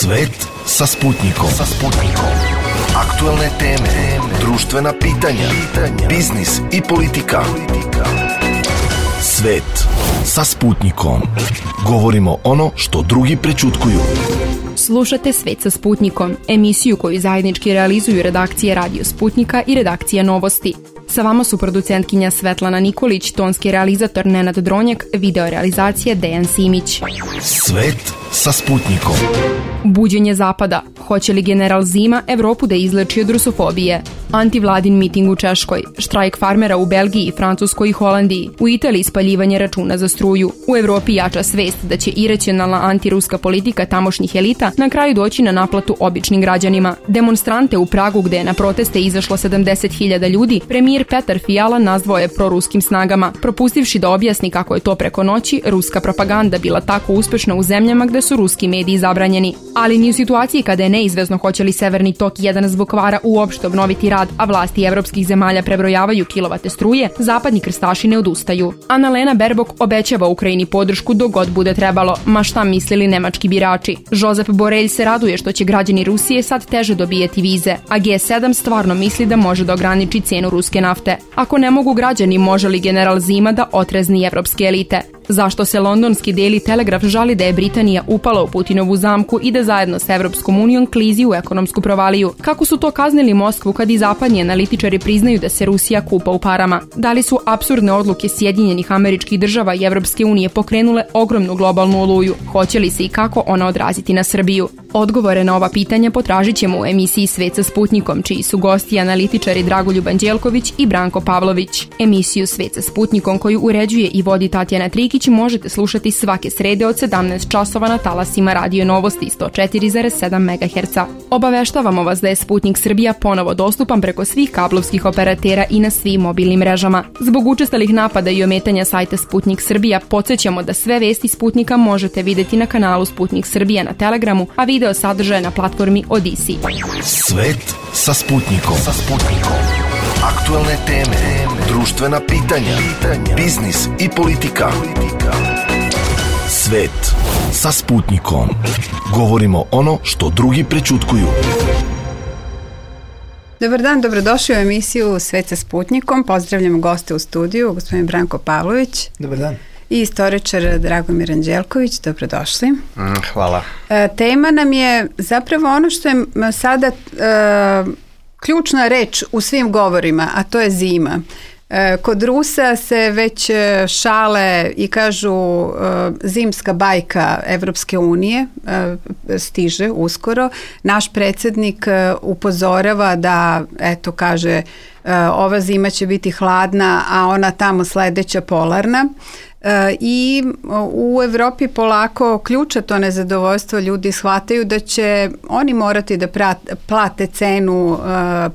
Svet sa Sputnikom. Aktuelne teme, društvena pitanja, biznis i politika. Svet sa Sputnikom. Govorimo ono što drugi prećutkuju. Slušate Svet sa Sputnikom, emisiju koju zajednički realizuju redakcije Radio Sputnika i redakcija Novosti. Sa vama su producentkinja Svetlana Nikolić, tonski realizator Nenad Dronjak, video realizacija Dejan Simić. Svet sa Sputnikom. Buđenje Zapada. Hoće li general Zima Evropu da izleči od rusofobije? Antivladin miting u Češkoj, štrajk farmera u Belgiji, Francuskoj i Holandiji, u Italiji spaljivanje računa za struju. U Evropi jača svest da će iracionalna antiruska politika tamošnjih elita na kraju doći na naplatu običnim građanima. Demonstrante u Pragu, gde je na proteste izašlo 70.000 ljudi, premijer Petar Fiala nazvao je proruskim snagama, propustivši da objasni kako je to preko noći ruska propaganda bila tako uspešna u zemljama gde su ruski mediji zabranjeni. Ali ni u situaciji kada je neizvesno hoće li Severni tok 1 zbog kvara uopšte obnoviti rad, a vlasti evropskih zemalja prebrojavaju kilovate struje, zapadni krstaši ne odustaju. Annalena Baerbock obećava Ukrajini podršku dok god bude trebalo, ma šta mislili nemački birači. Josep Borrell se raduje što će građani Rusije sad teže dobijeti vize, a G7 stvarno misli da može da ograniči cenu ruske nafte. Ako ne mogu građani, može li general Zima da otrezni evropske elite? Zašto se londonski Daily Telegraph žali da je Britanija upala u Putinovu zamku i da zajedno sa Evropskom unijom klizi u ekonomsku provaliju? Kako su to kaznili Moskvu kad i zapadni analitičari priznaju da se Rusija kupa u parama? Da li su apsurdne odluke Sjedinjenih Američkih Država i Evropske unije pokrenule ogromnu globalnu oluju? Hoće li se i kako ona odraziti na Srbiju? Odgovore na ova pitanja potražit ćemo u emisiji Svet sa Sputnikom, čiji su gosti analitičari Dragoljub Anđelković i Branko Pavlović. Emisiju Svet sa Sputnikom, koju uređuje i vodi Tatjana Trikić, možete slušati svake srede od 17 časova na talasima Radio Novosti 104,7 MHz. Obaveštavamo vas da je Sputnik Srbija ponovo dostupan preko svih kablovskih operatera i na svim mobilnim mrežama. Zbog učestalih napada i ometanja sajta Sputnik Srbija, podsjećamo da sve vesti Sputnika možete videti na kanalu Sputnik Srbija na Telegramu, a video sadržaje na platformi Odisi. Svet sa Sputnikom. Aktuelne teme, društvena pitanja, biznis i politika. Svet sa Sputnikom. Govorimo ono što drugi prećutkuju. Dobar dan, dobrodošli u emisiju Svet sa Sputnikom. Pozdravljamo goste u studiju, gospodin Branko Pavlović. Dobar dan. I istoričar Dragomir Anđelković, dobrodošli. Hvala. Tema nam je zapravo ono što je sada ključna reč u svim govorima, a to je zima. Kod Rusa se već šale i kažu zimska bajka Evropske unije stiže uskoro. Naš predsjednik upozorava da, eto kaže, ova zima će biti hladna, a ona tamo sledeća polarna. I u Evropi polako ključa to nezadovoljstvo, ljudi shvataju da će oni morati da plate cenu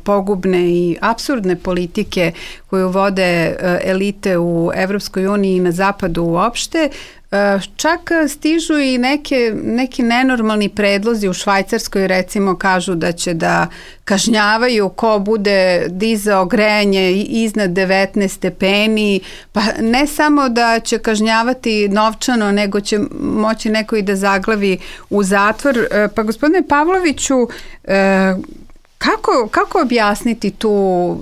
pogubne i apsurdne politike koju vode elite u Evropskoj uniji i na zapadu uopšte. Čak stižu i neki nenormalni predlozi u Švajcarskoj, recimo kažu da će da kažnjavaju ko bude dizao grejanje iznad 19 stepeni, pa ne samo da će kažnjavati novčano, nego će moći neko i da zaglavi u zatvor. Pa gospodine Pavloviću, Kako objasniti tu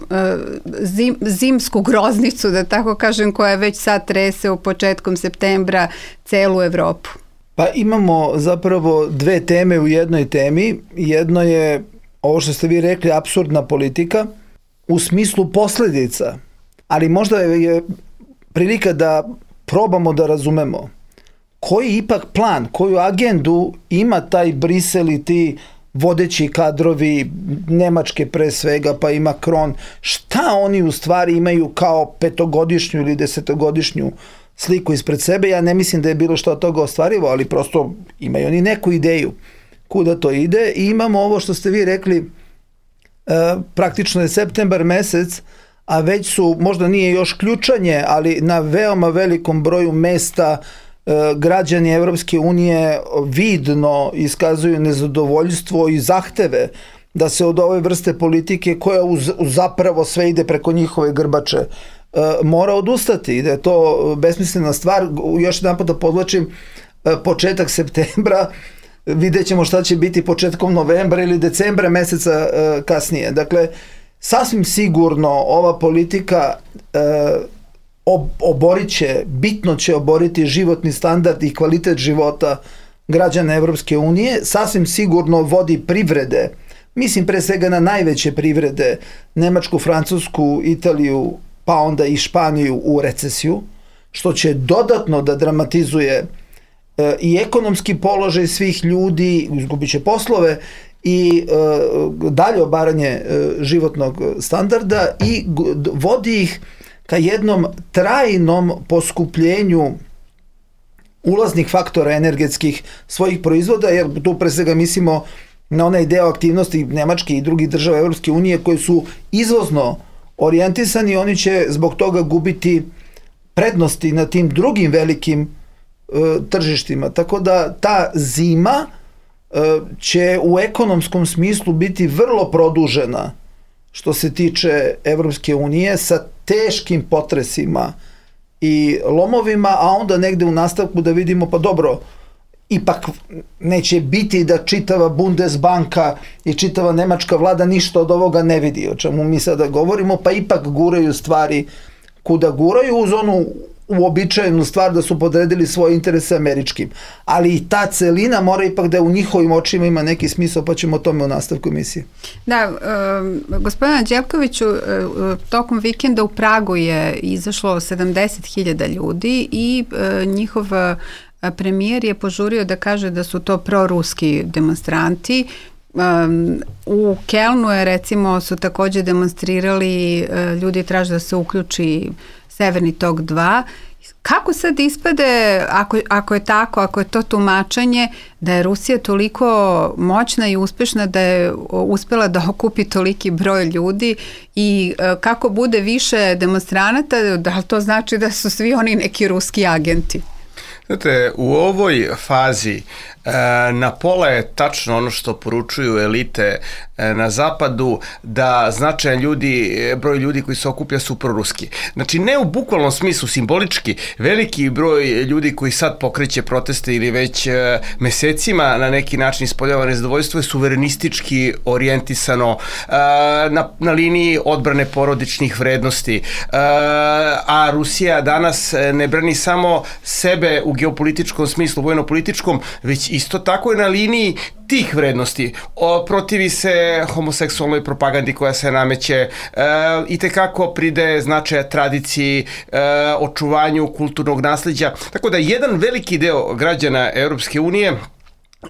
zimsku groznicu, da tako kažem, koja već sad trese u početkom septembra celu Evropu? Pa imamo zapravo dve teme u jednoj temi. Jedno je ovo što ste vi rekli, apsurdna politika u smislu posledica, ali možda je prilika da probamo da razumemo koji ipak plan, koju agendu ima taj Brisel i ti vodeći kadrovi Nemačke pre svega, pa i Macron, šta oni u stvari imaju kao 5-godišnju ili 10-godišnju sliku ispred sebe. Ja ne mislim da je bilo što od toga ostvarivo, ali prosto imaju oni neku ideju kuda to ide. I imamo ovo što ste vi rekli, praktično je septembar mesec, a već su, možda nije još ključanje, ali na veoma velikom broju mesta građani Evropske unije vidno iskazuju nezadovoljstvo i zahteve da se od ove vrste politike, koja zapravo sve ide preko njihove grbače, mora odustati i da je to besmislena stvar. Još jedan put da podvlačim, početak septembra vidjet ćemo šta će biti početkom novembra ili decembra meseca kasnije. Dakle, sasvim sigurno ova politika bitno će oboriti životni standard i kvalitet života građana Evropske unije, sasvim sigurno vodi privrede, mislim pre svega na najveće privrede, Nemačku, Francusku, Italiju, pa onda i Španiju u recesiju, što će dodatno da dramatizuje i ekonomski položaj svih ljudi, izgubit će poslove i dalje obaranje životnog standarda i vodi ih ka jednom trajnom poskupljenju ulaznih faktora energetskih svojih proizvoda, jer tu pre svega mislimo na onaj deo aktivnosti Nemačke i drugih država Evropske unije koji su izvozno orijentisani, oni će zbog toga gubiti prednosti na tim drugim velikim tržištima. Tako da ta zima će u ekonomskom smislu biti vrlo produžena što se tiče Evropske unije sa teškim potresima i lomovima, a onda negde u nastavku da vidimo, pa dobro, ipak neće biti da čitava Bundesbanka i čitava nemačka vlada ništa od ovoga ne vidi, o čemu mi sada govorimo, pa ipak guraju stvari kuda guraju uz onu uobičajenu stvar da su podredili svoje interese američkim. Ali i ta celina mora ipak da u njihovim očima ima neki smisao, pa ćemo o tome u nastavku emisije. Da, gospodina Đevkoviću, tokom vikenda u Pragu je izašlo 70.000 ljudi i njihov premijer je požurio da kaže da su to proruski demonstranti. U Kelnu je recimo su takođe demonstrirali, ljudi traže da se uključi Severni tok 2. Kako sad ispade, ako je tako, ako je to tumačenje, da je Rusija toliko moćna i uspešna da je uspela da okupi toliki broj ljudi i kako bude više demonstranata, da li to znači da su svi oni neki ruski agenti? Znate, u ovoj fazi na pola je tačno ono što poručuju elite na zapadu, da značajan broj ljudi koji se okuplja su proruski. Znači, ne u bukvalnom smislu, simbolički, veliki broj ljudi koji sad pokreće proteste ili već mesecima na neki način ispoljava nezadovoljstvo je suverenistički orijentisano na liniji odbrane porodičnih vrednosti. A Rusija danas ne brani samo sebe u geopolitičkom smislu, vojno-političkom, već isto tako je na liniji tih vrednosti. Protivi se homoseksualnoj propagandi koja se nameće, i tekako pridaje značaja tradiciji, očuvanju kulturnog nasleđa. Tako da jedan veliki deo građana Europske unije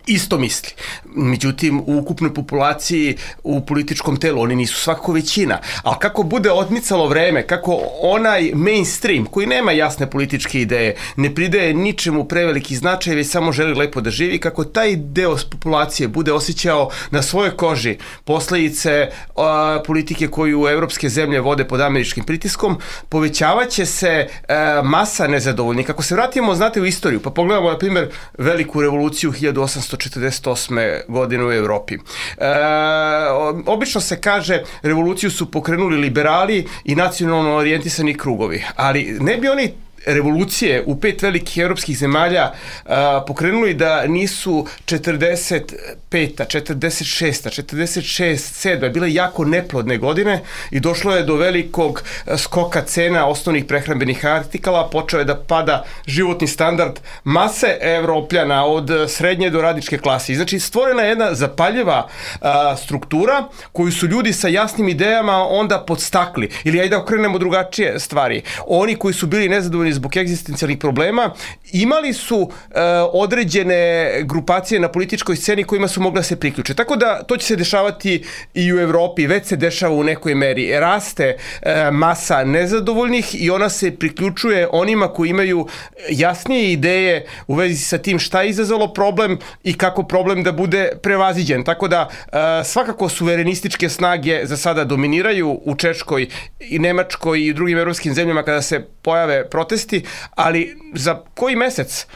isto misli. Međutim, u ukupnoj populaciji, u političkom telu, oni nisu svakako većina. Ali kako bude odmicalo vreme, kako onaj mainstream, koji nema jasne političke ideje, ne pridaje ničemu preveliki značaj, već samo želi lepo da živi, kako taj deo populacije bude osjećao na svojoj koži posledice politike koju evropske zemlje vode pod američkim pritiskom, povećavaće se masa nezadovoljnih. Kako se vratimo, znate, u istoriju, pa pogledamo, na primjer, veliku revoluciju 1848. godine u Evropi. Obično se kaže, revoluciju su pokrenuli liberali i nacionalno orijentisani krugovi, ali ne bi oni revolucije u 5 velikih evropskih zemalja pokrenuli da nisu 45. 46. 47. bile jako neplodne godine i došlo je do velikog skoka cena osnovnih prehrambenih artikala, počeo je da pada životni standard mase Evropljana od srednje do radničke klase. Znači, stvorena je jedna zapaljiva struktura koju su ljudi sa jasnim idejama onda podstakli. Ili ajde da okrenemo drugačije stvari. Oni koji su bili nezadovoljni zbog egzistencijalnih problema, imali su određene grupacije na političkoj sceni kojima su mogla se priključe. Tako da to će se dešavati i u Evropi, već se dešava u nekoj meri. Raste masa nezadovoljnih i ona se priključuje onima koji imaju jasnije ideje u vezi sa tim šta je izazvalo problem i kako problem da bude prevaziđen. Tako da svakako suverenističke snage za sada dominiraju u Češkoj i Nemačkoj i drugim evropskim zemljama kada se pojave protesti, ali za koji mesec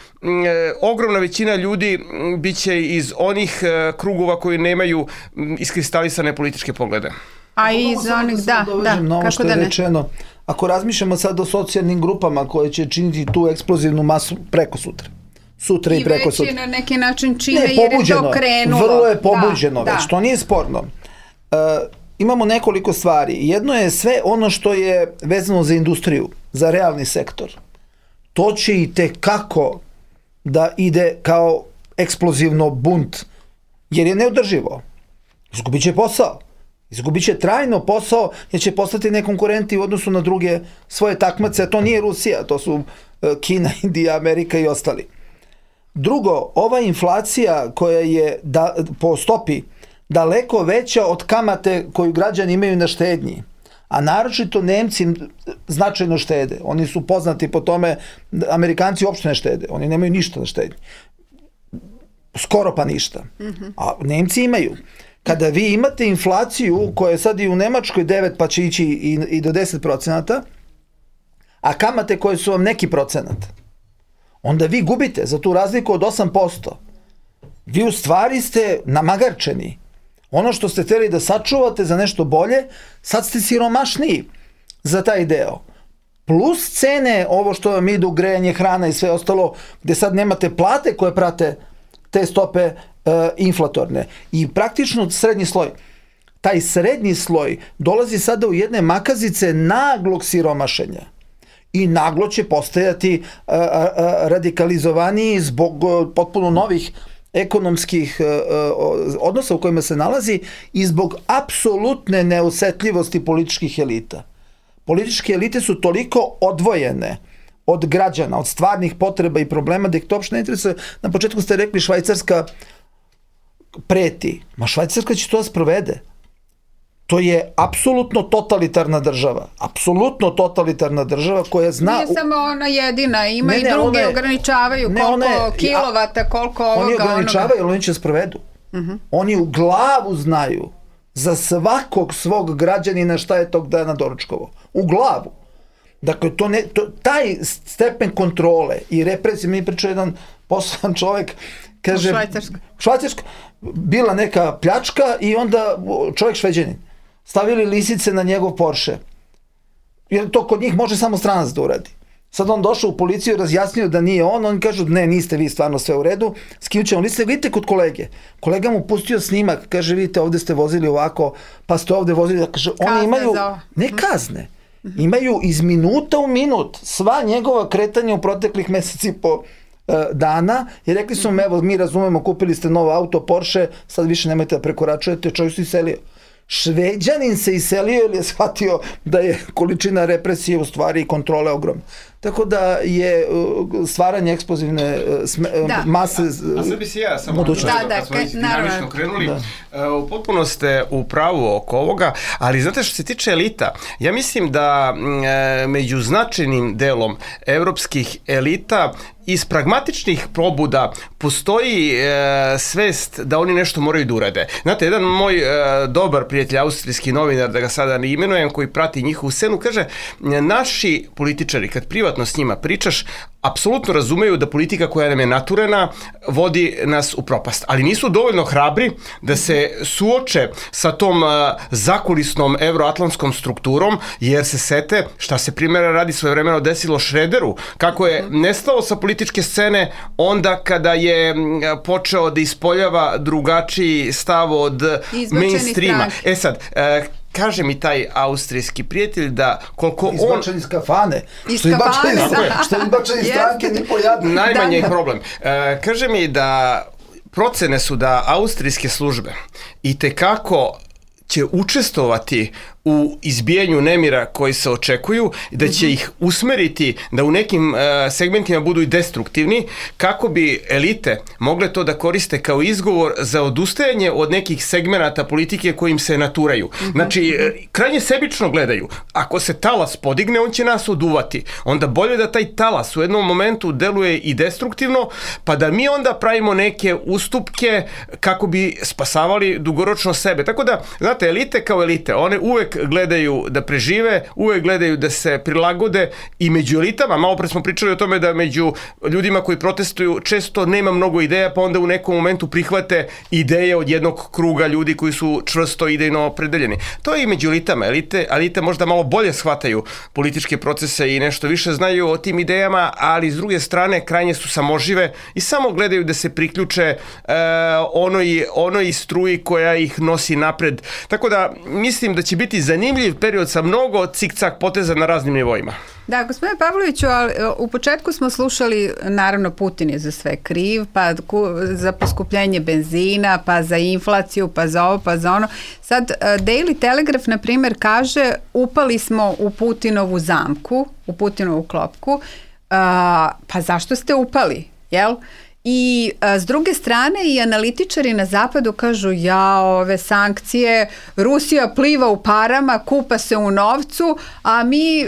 ogromna većina ljudi biće iz onih krugova koji nemaju iskristalisane političke poglede. A iz onih, da, kako da ne. Rečeno, ako razmišljamo sad o socijalnim grupama koje će činiti tu eksplozivnu masu preko sutra, sutra i preko sutra. I već je na neki način čine jer je to krenulo. Vrlo je pobuđeno već, to nije sporno. Imamo nekoliko stvari. Jedno je sve ono što je vezano za industriju, za realni sektor. To će i tekako da ide kao eksplozivno bunt, jer je neodrživo. Izgubit će posao. Izgubit će trajno posao, jer će postati nekonkurenti u odnosu na druge svoje takmace, a to nije Rusija, to su Kina, Indija, Amerika i ostali. Drugo, ova inflacija koja je po stopi daleko veća od kamate koju građani imaju na štednji, a naročito Nemci značajno štede. Oni su poznati po tome, Amerikanci uopšte ne štede, oni nemaju ništa na štednji. Skoro pa ništa. A Nemci imaju. Kada vi imate inflaciju koja je sad i u Nemačkoj 9 pa će ići i do 10%, a kamate koje su vam neki procenat, onda vi gubite za tu razliku od 8%. Vi u stvari ste namagarčeni. Ono što ste hteli da sačuvate za nešto bolje, sad ste siromašniji za taj deo. Plus cene, ovo što vam idu, grejanje, hrana i sve ostalo, gde sad nemate plate koje prate te stope inflatorne. I praktično srednji sloj. Taj srednji sloj dolazi sada u jedne makazice naglog siromašenja. I naglo će postajati radikalizovaniji zbog potpuno novih ekonomskih odnosa u kojima se nalazi i zbog apsolutne neosetljivosti političkih elita. Političke elite su toliko odvojene od građana, od stvarnih potreba i problema da ih to uopšte ne interesuje. Na početku ste rekli Švajcarska preti. Ma Švajcarska će to da sprovede. To je apsolutno totalitarna država. Apsolutno totalitarna država koja zna... Nije samo ona jedina, ima i druge ograničavaju koliko kilovata, koliko ovoga... Oni ograničavaju, ali oni će sprovedu. Oni u glavu znaju za svakog svog građanina šta je tog dana doručkovo. U glavu. Dakle, taj stepen kontrole i represije, mi pričao jedan poslan čovjek, kaže... Švajcarska. Bila neka pljačka i onda čovjek Šveđanin. Stavili lisice na njegov Porsche. Jer to kod njih može samo stranac da uradi. Sad on došao u policiju i razjasnio da nije on, oni kažu ne, niste vi stvarno sve u redu, skinut ćemo lisice, vidite kod kolege. Kolega mu pustio snimak, kaže vidite ovde ste vozili ovako, pa ste ovde vozili, kaže oni imaju, ne kazne, imaju iz minuta u minut sva njegova kretanja u proteklih meseci i po dana i rekli su evo mi razumemo, kupili ste novo auto Porsche, sad više nemojte da prekoračujete, čovjek se iselio. Šveđanin se iselio ili je shvatio da je količina represije u stvari i kontrole ogromna. Tako da je stvaranje eksplozivne mase... A sad bi si ja samo kad smo dinamično krenuli, potpuno ste u pravu oko ovoga, ali znate što se tiče elita, ja mislim da među značajnim delom evropskih elita iz pragmatičnih probuda postoji svest da oni nešto moraju da urade. Znate, jedan moj dobar prijatelj, austrijski novinar, da ga sada ne imenujem, koji prati njihovu scenu, kaže, naši političari, kad privatno s njima pričaš, apsolutno razumeju da politika koja nam je naturena vodi nas u propast, ali nisu dovoljno hrabri da se suoče sa tom zakulisnom evroatlantskom strukturom, jer se sete šta se primjera radi svojevremeno desilo Šrederu, kako je nestao sa političke scene onda kada je počeo da ispoljava drugačiji stav od mainstreama. E sad, kaže mi taj austrijski prijatelj da koliko on... Izbačen iz kafane. Što izbačen iz stranke ni pojadno. Najmanje je problem. Kaže mi da procene su da austrijske službe i tekako će učestvovati u izbijanju nemira koji se očekuju, da će ih usmeriti da u nekim segmentima budu i destruktivni, kako bi elite mogle to da koriste kao izgovor za odustajanje od nekih segmenata politike kojim se naturaju. Znači, krajnje sebično gledaju. Ako se talas podigne, on će nas oduvati. Onda bolje da taj talas u jednom momentu deluje i destruktivno, pa da mi onda pravimo neke ustupke kako bi spasavali dugoročno sebe. Tako da, znate, elite kao elite, one uvek uvek gledaju da prežive, uvek gledaju da se prilagode i među elitama, malo pre smo pričali o tome da među ljudima koji protestuju često nema mnogo ideja, pa onda u nekom momentu prihvate ideje od jednog kruga ljudi koji su čvrsto idejno opredeljeni. To je i među elitama. Elite možda malo bolje shvataju političke procese i nešto više znaju o tim idejama, ali s druge strane krajnje su samožive i samo gledaju da se priključe onoj struji koja ih nosi napred. Tako da mislim da će biti zanimljiv period sa mnogo cik-cak poteza na raznim nivoima. Da, gospodine Pavloviću, u početku smo slušali, naravno Putin je za sve kriv, pa za poskupljenje benzina, pa za inflaciju, pa za ovo, pa za ono. Sad Daily Telegraph, na primjer, kaže upali smo u Putinovu zamku, u Putinovu klopku, pa zašto ste upali, jel? I s druge strane i analitičari na zapadu kažu ove sankcije, Rusija pliva u parama, kupa se u novcu, a mi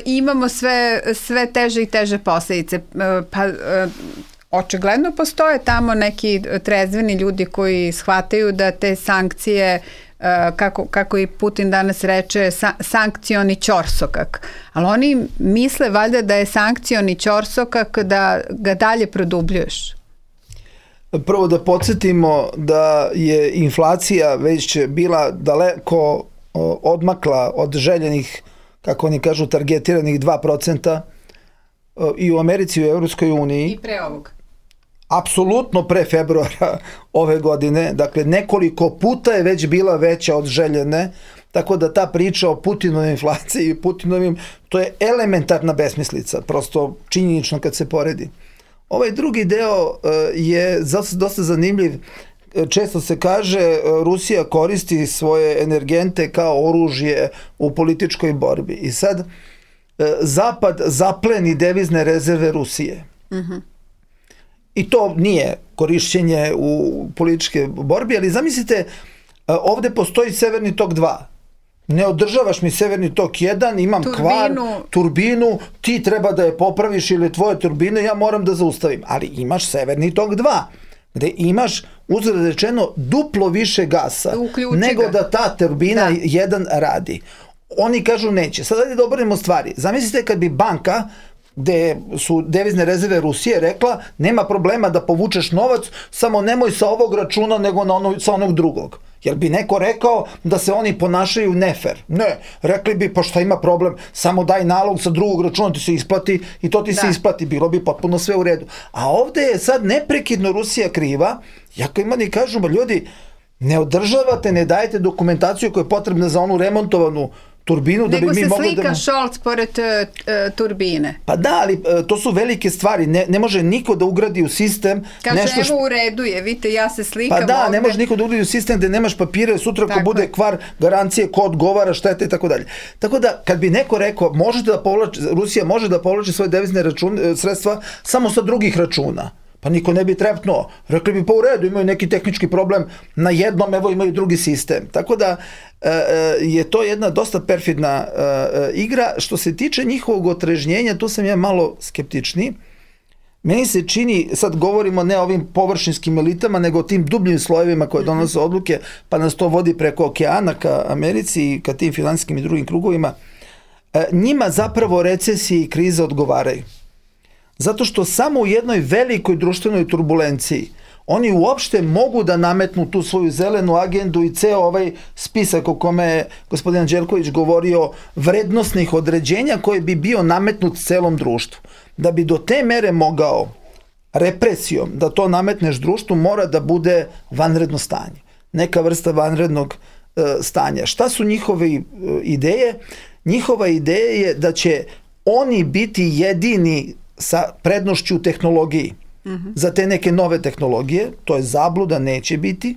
imamo sve teže i teže posljedice. Očigledno postoje tamo neki trezveni ljudi koji shvataju da te sankcije, kako i Putin danas reče, sankcioni ćorsokak. Ali oni misle valjda da je sankcioni ćorsokak da ga dalje produbljuješ. Prvo da podsjetimo da je inflacija već bila daleko odmakla od željenih, kako oni kažu, targetiranih 2% i u Americi i u Evropskoj uniji. I pre ovog. Apsolutno pre februara ove godine, dakle nekoliko puta je već bila veća od željene, tako da ta priča o Putinovoj inflaciji i Putinovim, to je elementarna besmislica, prosto činjenično kad se poredi. Ovaj drugi deo je dosta zanimljiv. Često se kaže Rusija koristi svoje energente kao oružje u političkoj borbi. I sad Zapad zapleni devizne rezerve Rusije. I to nije korišćenje u političke borbi, ali zamislite, ovde postoji Severni tok 2. Ne održavaš mi Severni tok 1, imam kvar, turbinu, ti treba da je popraviš ili tvoje turbine, ja moram da zaustavim. Ali imaš Severni tok 2, gde imaš, uzgled rečeno, duplo više gasa nego da ta turbina 1 radi. Oni kažu neće. Sad da obrnemo stvari. Zamislite kad bi banka, gde su devizne rezerve Rusije, rekla nema problema da povučeš novac, samo nemoj sa ovog računa nego sa onog drugog. Jer bi neko rekao da se oni ponašaju nefer. Ne, rekli bi pa šta ima problem, samo daj nalog sa drugog računa ti se isplati i to ti se isplati, bilo bi potpuno sve u redu. A ovde je sad neprekidno Rusija kriva, jako ima ni kažu, ljudi, ne održavate, ne dajete dokumentaciju koja je potrebna za onu remontovanu turbinu, da bi mi mogli da... Nego se slika Scholz pored turbine. Pa da, ali to su velike stvari. Ne može niko da ugradi u sistem... Kaže, evo u redu je, vidite, ja se slikam ovde. Pa da, ne može niko da ugradi u sistem gde nemaš papire, sutra ako bude kvar, garancije, ko odgovara, štete i tako dalje. Tako da, kad bi neko rekao, Rusija može da povlači svoje devizne sredstva samo sa drugih računa, pa niko ne bi trepnuo. Rekli bi pa u redu, imaju neki tehnički problem na jednom, evo imaju drugi sistem. Tako da je to jedna dosta perfidna igra. Što se tiče njihovog otrežnjenja, tu sam ja malo skeptičniji. Meni se čini, sad govorimo ne o ovim površinskim elitama, nego o tim dubljim slojevima koje donose odluke, pa nas to vodi preko okeana ka Americi i ka tim finansijskim i drugim krugovima. Njima zapravo recesije i krize odgovaraju. Zato što samo u jednoj velikoj društvenoj turbulenciji oni uopšte mogu da nametnu tu svoju zelenu agendu i ceo ovaj spisak o kome je gospodin Anđelković govorio, vrednosnih određenja koje bi bio nametnut celom društvu. Da bi do te mere mogao represijom da to nametneš društvu, mora da bude vanredno stanje. Neka vrsta vanrednog stanja. Šta su njihove ideje? Njihova ideja je da će oni biti jedini sa prednošću u tehnologiji za te neke nove tehnologije, to je zabluda, neće biti.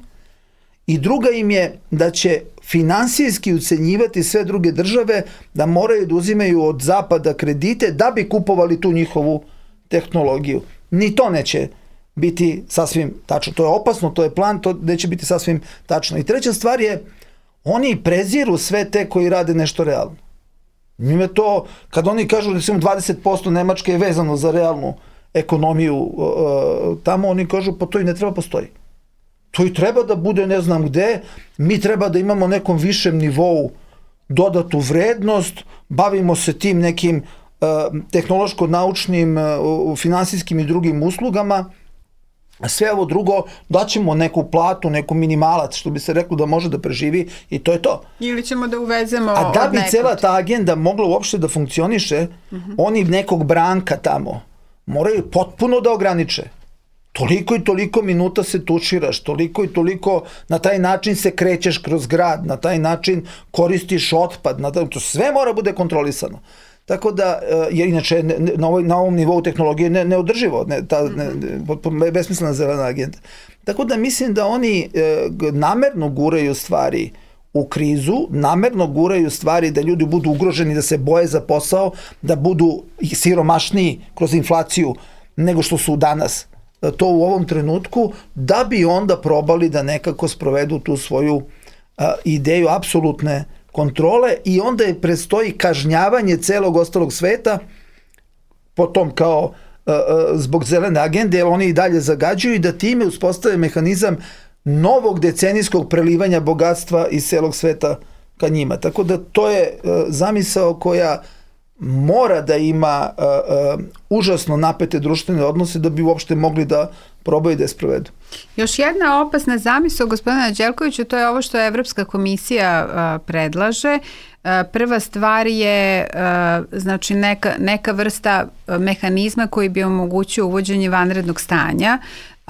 I druga im je da će finansijski ucenjivati sve druge države da moraju da uzimaju od zapada kredite da bi kupovali tu njihovu tehnologiju. Ni to neće biti sasvim tačno. To je opasno, to je plan, to neće biti sasvim tačno. I treća stvar je, oni preziru sve te koji rade nešto realno. Njime to, kad oni kažu da 20% Nemačke je vezano za realnu ekonomiju tamo, oni kažu pa to i ne treba postoji. To i treba da bude ne znam gde, mi treba da imamo nekom višem nivou dodatu vrednost, bavimo se tim nekim tehnološko-naučnim, finansijskim i drugim uslugama, a sve ovo drugo daćemo neku platu, neku minimalac, što bi se reklo da može da preživi i to je to. Ili ćemo da uvezemo a da bi cela ta agenda mogla uopšte da funkcioniše, oni nekog Branka tamo moraju potpuno da ograniče. Toliko i toliko minuta se tuširaš, toliko i toliko na taj način se krećeš kroz grad, na taj način koristiš otpad, to sve mora bude kontrolisano. Tako da, jer inače na ovom nivou tehnologije neodrživo, besmislena zelena agenda. Tako da mislim da oni namerno guraju stvari u krizu, namerno guraju stvari da ljudi budu ugroženi, da se boje za posao, da budu siromašniji kroz inflaciju nego što su danas. To u ovom trenutku, da bi onda probali da nekako sprovedu tu svoju ideju apsolutne kontrole i onda je predstoji kažnjavanje celog ostalog sveta potom kao zbog zelene agende, jer oni i dalje zagađuju i da time uspostave mehanizam novog decenijskog prelivanja bogatstva iz celog sveta ka njima. Tako da to je zamisao koja mora da ima užasno napete društvene odnose da bi uopšte mogli da probaju da je sprovedu. Još jedna opasna zamisao gospodina Đelkovića, to je ovo što Evropska komisija predlaže. Prva stvar je znači neka vrsta mehanizma koji bi omogućio uvođenje vanrednog stanja,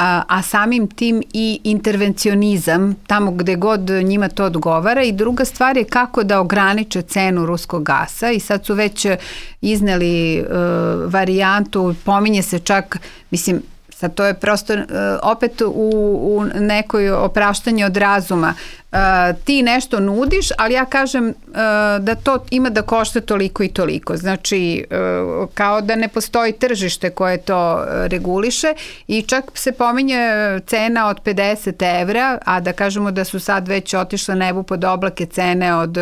a samim tim i intervencionizam tamo gde god njima to odgovara, i druga stvar je kako da ograniče cenu ruskog gasa i sad su već izneli varijantu, pominje se čak, mislim, sad to je prosto opet u nekoj opraštanju od razuma. Ti nešto nudiš, ali ja kažem da to ima da košta toliko i toliko. Znači, kao da ne postoji tržište koje to reguliše i čak se pominje cena od 50 evra, a da kažemo da su sad već otišle nebu pod oblake cene od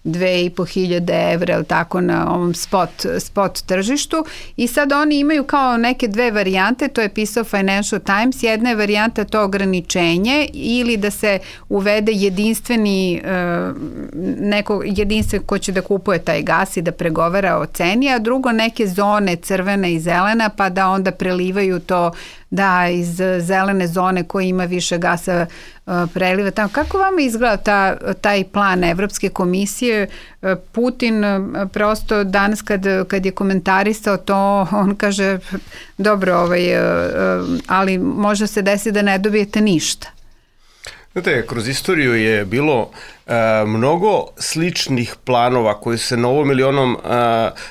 2500 evra, ili tako, na ovom spot tržištu, i sad oni imaju kao neke dve varijante, to je pisao Financial Times. Jedna je varijanta to ograničenje ili da se uvede jedinstven ko će da kupuje taj gas i da pregovara o ceni, a drugo neke zone crvena i zelena, pa da onda prelivaju to, da iz zelene zone koji ima više gasa preliva tamo. Kako vama izgleda taj plan Evropske komisije? Putin prosto danas kad je komentarisao to, on kaže dobro, ali može se desiti da ne dobijete ništa. Znate, kroz istoriju je bilo mnogo sličnih planova koji su se na ovom ili onom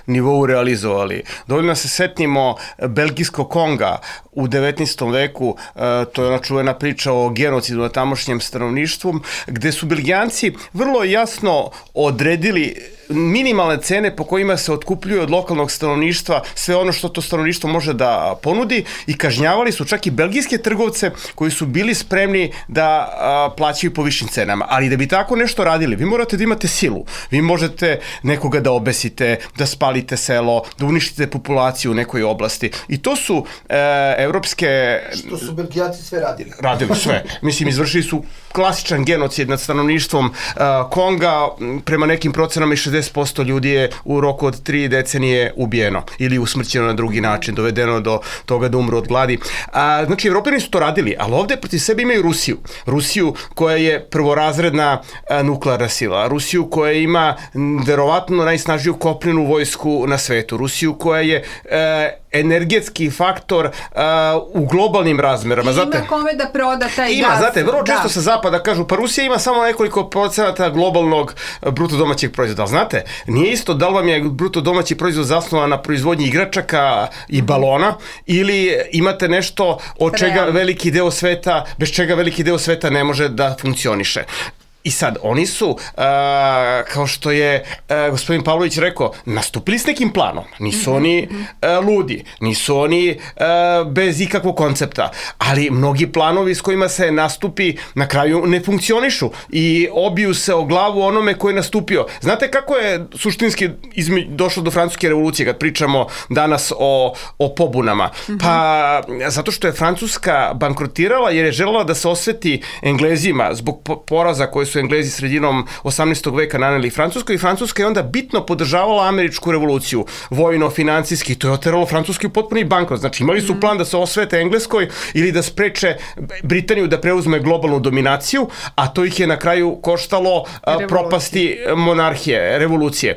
nivou realizovali. Dovoljno se setimo belgijskog Konga u 19. veku, to je ona čuvena priča o genocidu na tamošnjem stanovništvu, gde su Belgijanci vrlo jasno odredili minimalne cene po kojima se otkupljuju od lokalnog stanovništva sve ono što to stanovništvo može da ponudi, i kažnjavali su čak i belgijske trgovce koji su bili spremni da plaćaju po višim cenama. Ali da bi tako nešto radili, vi morate da imate silu. Vi možete nekoga da obesite, da spalite selo, da uništite populaciju u nekoj oblasti. I to su evropske... Što su Belgijaci sve radili. Radili sve. Mislim, izvršili su klasičan genocid nad stanovništvom Konga. Prema nekim procenama i 60% ljudi je u roku od 3 decenije ubijeno ili usmrćeno na drugi način, dovedeno do toga da umru od gladi. Znači, Evropljani su to radili, ali ovde protiv sebe imaju Rusiju. Rusiju koja je prvorazredna nuklearna sila. Rusiju koja ima verovatno najsnažniju kopnenu vojsku na svetu. Rusiju koja je energetski faktor u globalnim razmerama. I ima kome da proda taj gas. Znate, vrlo često sa zapada kažu, pa Rusija ima samo nekoliko procenata globalnog bruto domaćeg proizvoda. Znate, nije isto da li vam je bruto domaći proizvod zasnovan na proizvodnji igračaka i balona, ili imate nešto od čega veliki deo sveta, bez čega veliki deo sveta ne može da funkcioniše. I sad, oni su, kao što je gospodin Pavlović rekao, nastupili s nekim planom. Nisu oni ludi, nisu oni bez ikakvog koncepta, ali mnogi planovi s kojima se nastupi na kraju ne funkcionišu i obiju se o glavu onome ko je nastupio. Znate kako je suštinski došlo do Francuske revolucije kad pričamo danas o pobunama? Pa zato što je Francuska bankrotirala jer je želela da se osveti Englezima zbog poraza koje su Englezi sredinom 18. veka naneli Francuskoj i Francuska je onda bitno podržavala američku revoluciju, vojno, financijski, to je oteralo Francuski u potpuni bankrot. Znači imali su plan da se osvete Engleskoj ili da spreče Britaniju da preuzme globalnu dominaciju, a to ih je na kraju koštalo propasti monarhije, revolucije.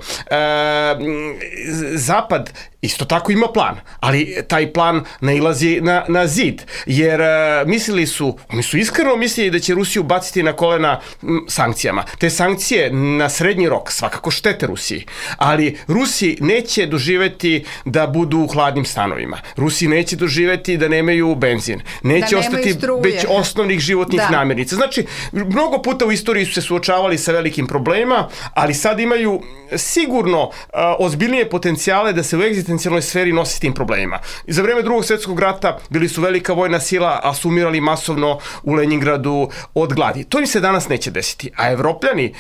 Zapad isto tako ima plan, ali taj plan nailazi na zid, jer oni su iskreno mislili da će Rusiju baciti na kolena sankcijama. Te sankcije na srednji rok svakako štete Rusiji, ali Rusi neće doživeti da budu u hladnim stanovima. Rusi neće doživeti da nemaju benzin, neće ostati već osnovnih životnih namirnica. Znači, mnogo puta u istoriji su se suočavali sa velikim problemima, ali sad imaju sigurno ozbiljnije potencijale da se u egzistencijalnoj sferi nosi s tim problemima. Za vreme Drugog svjetskog rata bili su velika vojna sila, a su umirali masovno u Leningradu od gladi. To im se danas neće desiti. A Evropljani,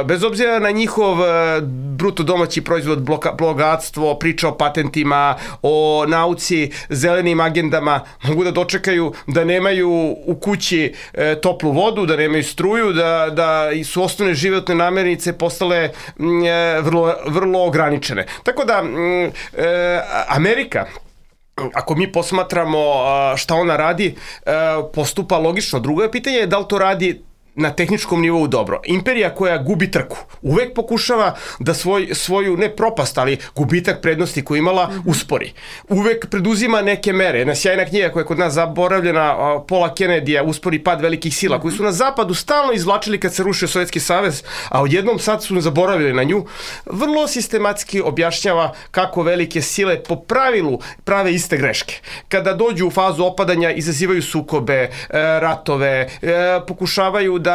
bez obzira na njihov bruto domaći proizvod, bogatstvo, priča o patentima, o nauci, zelenim agendama, mogu da dočekaju da nemaju u kući toplu vodu, da nemaju struju, da su osnovne životne namirnice postale vrlo ograničene. Tako da Amerika, ako mi posmatramo šta ona radi, postupa logično. Drugo je pitanje da li to radi na tehničkom nivou dobro. Imperija koja gubi trku uvek pokušava da svoju, ne propast, ali gubitak prednosti koju imala uspori. Uvek preduzima neke mere. Jedna sjajna knjiga koja je kod nas zaboravljena, Paula Kennedyja, Uspori pad velikih sila, koji su na zapadu stalno izvlačili kad se rušio Sovjetski savez, a odjednom sad su zaboravili na nju. Vrlo sistematski objašnjava kako velike sile po pravilu prave iste greške. Kada dođu u fazu opadanja, izazivaju sukobe, ratove, pokušavaju da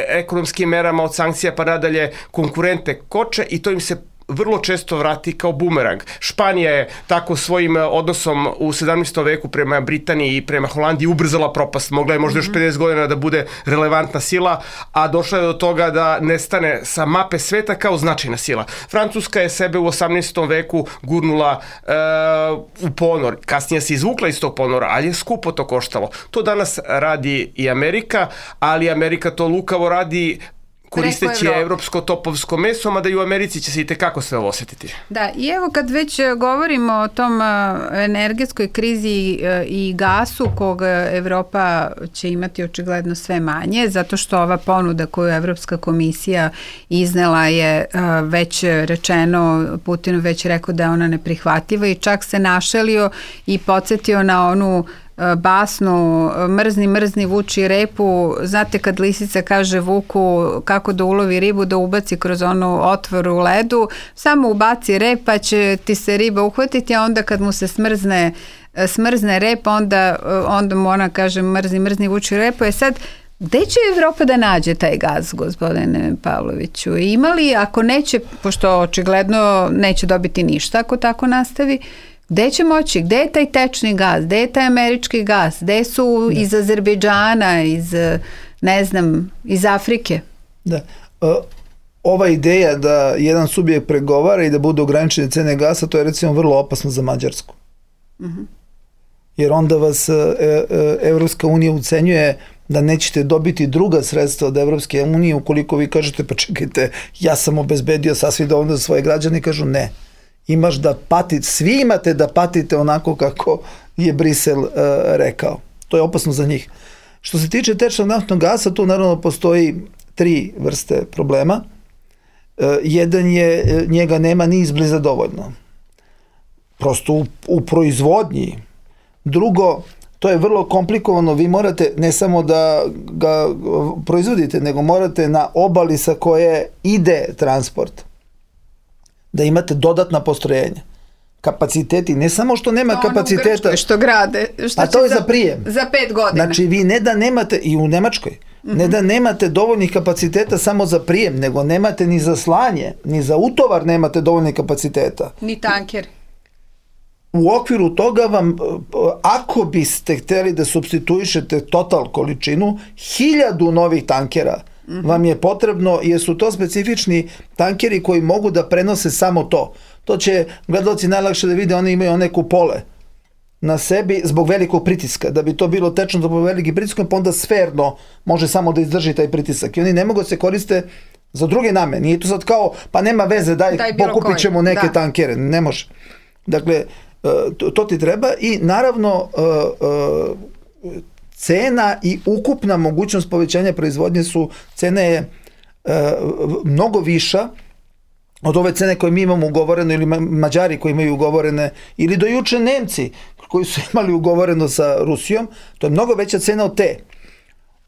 ekonomskim merama od sankcija pa nadalje konkurente koče i to im se vrlo često vrati kao bumerang. Španija je tako svojim odnosom u 17. veku prema Britaniji i prema Holandiji ubrzala propast. Mogla je možda još 50 godina da bude relevantna sila, a došla je do toga da nestane sa mape sveta kao značajna sila. Francuska je sebe u 18. veku gurnula u ponor. Kasnije se izvukla iz tog ponora, ali je skupo to koštalo. To danas radi i Amerika, ali Amerika to lukavo radi koristeći evropsko topovsko meso, mada i u Americi će se i tekako sve ovo osjetiti. Da, i evo kad već govorimo o tom energetskoj krizi i gasu kog Evropa će imati očigledno sve manje, zato što ova ponuda koju Evropska komisija iznela je već rečeno, Putin već rekao da je ona neprihvatljiva i čak se našalio i podsjetio na onu basnu mrzni vuči repu. Znate kad lisica kaže vuku kako da ulovi ribu, da ubaci kroz onu otvor u ledu, samo ubaci rep pa će ti se riba uhvatiti, a onda kad mu se smrzne rep, onda mu ona kaže mrzni vuči repu. Sad, gde će Evropa da nađe taj gaz, gospodine Pavloviću? Imali, ako neće, pošto očigledno neće dobiti ništa ako tako nastavi, gde će moći? Gde je taj tečni gaz? Gde je taj američki gaz? Gde su iz Azerbejdžana, iz Afrike? Da. Ova ideja da jedan subjekt pregovara i da budu ograničene cene gasa, to je recimo vrlo opasno za Mađarsku. Jer onda vas Evropska unija ucenjuje da nećete dobiti druga sredstva od Evropske unije ukoliko vi kažete pa čekajte, ja sam obezbedio sasvim dovoljno za svoje građane, kažu ne. Imaš da patite, svi imate da patite onako kako je Brisel rekao. To je opasno za njih. Što se tiče tečnog naftnog gasa, tu naravno postoji 3 vrste problema. Jedan je, njega nema ni izbliza dovoljno. Prosto u proizvodnji. Drugo, to je vrlo komplikovano, vi morate ne samo da ga proizvodite, nego morate na obali sa koje ide transport da imate dodatna postrojenja. Kapaciteti, ne samo što nema kapaciteta... U Grčkoj što grade. A to je za prijem. Za 5 godina. Znači vi ne da nemate, i u Nemačkoj, ne da nemate dovoljnih kapaciteta samo za prijem, nego nemate ni za slanje, ni za utovar nemate dovoljnih kapaciteta. Ni tanker. U okviru toga vam, ako biste hteli da supstituišete total količinu, 1000 novih tankera vam je potrebno, jer su to specifični tankeri koji mogu da prenose samo to. To će gledalci najlakše da vide, oni imaju one kupole na sebi zbog velikog pritiska. Da bi to bilo tečno zbog velikih pritiska, pa onda sferno može samo da izdrži taj pritisak. I oni ne mogu da se koriste za druge namene. Nije to sad kao, pa nema veze, daj pokupit ćemo neke tankere. Ne može. Dakle, to ti treba i naravno cena i ukupna mogućnost povećanja proizvodnje cena je mnogo viša od ove cene koje mi imamo ugovoreno ili Mađari koji imaju ugovorene ili do juče Nemci koji su imali ugovoreno sa Rusijom, to je mnogo veća cena od te.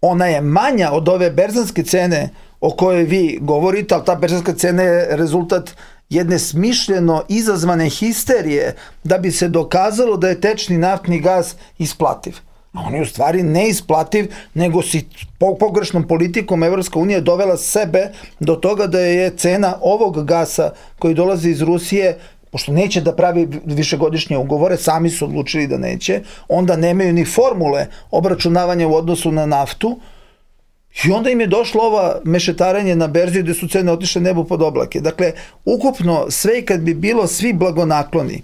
Ona je manja od ove berzanske cene o kojoj vi govorite, ali ta berzanska cena je rezultat jedne smišljeno izazvane histerije da bi se dokazalo da je tečni naftni gas isplativ. A on je u stvari neisplativ, nego si pogrešnom politikom Evropska unija dovela sebe do toga da je cena ovog gasa koji dolazi iz Rusije, pošto neće da pravi višegodišnje ugovore, sami su odlučili da neće, onda nemaju ni formule obračunavanja u odnosu na naftu, i onda im je došlo ova mešetarenje na berzi gde su cene otišle nebu pod oblake. Dakle, ukupno sve i kad bi bilo svi blagonakloni,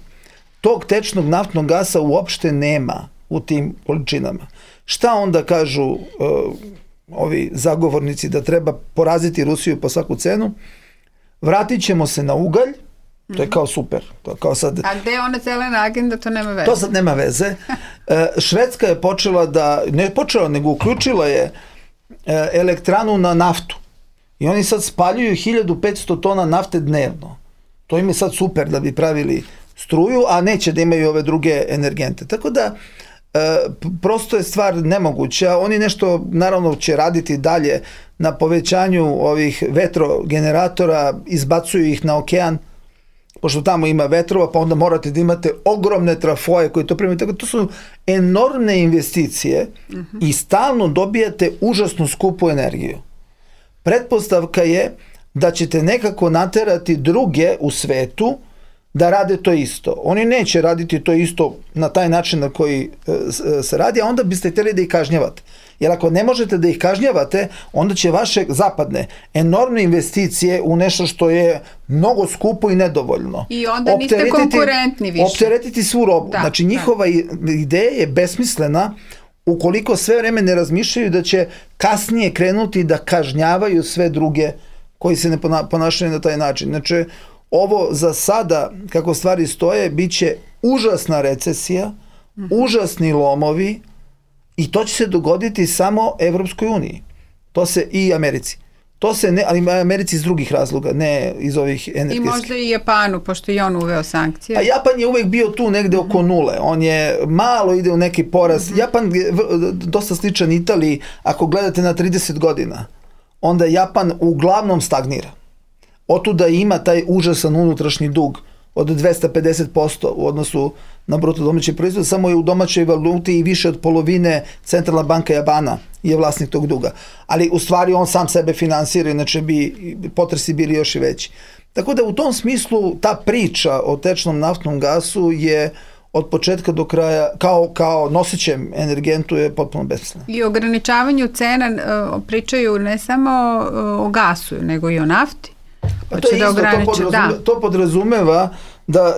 tog tečnog naftnog gasa uopšte nema u tim količinama. Šta onda kažu ovi zagovornici da treba poraziti Rusiju po svaku cenu? Vratit ćemo se na ugalj, to je kao super. To je kao sad... A gde je ona zelena agenda, to nema veze? To sad nema veze. Švedska je počela da, ne počela, nego uključila je elektranu na naftu. I oni sad spaljuju 1500 tona nafte dnevno. To im je sad super da bi pravili struju, a neće da imaju ove druge energente. Tako da, prosto je stvar nemoguća. Oni nešto, naravno, će raditi dalje na povećanju ovih vetrogeneratora, izbacuju ih na okean, pošto tamo ima vetrova, pa onda morate da imate ogromne trafoje koji to primaju. Tako, to su enormne investicije i stalno dobijate užasno skupu energiju. Pretpostavka je da ćete nekako naterati druge u svetu da rade to isto. Oni neće raditi to isto na taj način na koji se radi, a onda biste htjeli da ih kažnjavate. Jer ako ne možete da ih kažnjavate, onda će vaše zapadne enormne investicije u nešto što je mnogo skupo i nedovoljno. I onda niste konkurentni više. Opteretiti svu robu. Znači njihova ideja je besmislena ukoliko sve vreme ne razmišljaju da će kasnije krenuti da kažnjavaju sve druge koji se ne ponašaju na taj način. Znači, ovo za sada, kako stvari stoje, bit će užasna recesija, užasni lomovi i to će se dogoditi samo Evropskoj uniji. To se i Americi. To se ne, ali Americi iz drugih razloga, ne iz ovih energetskih. I možda i Japanu, pošto i on uveo sankcije. A Japan je uvek bio tu negde oko nule. On je malo ide u neki porast. Japan je dosta sličan Italiji. Ako gledate na 30 godina, onda Japan uglavnom stagnira. Otuda ima taj užasan unutrašnji dug od 250% u odnosu na bruto domaći proizvod, samo je u domaćoj valuti i više od polovine Centralna banka Japana je vlasnik tog duga. Ali u stvari on sam sebe finansira, inače bi potresi bili još i veći. Tako da u tom smislu ta priča o tečnom naftnom gasu je od početka do kraja, kao nosićem energentu, je potpuno besmisleno. I o ograničavanju cena pričaju ne samo o gasu, nego i o nafti. Pa to je isto, to podrazumeva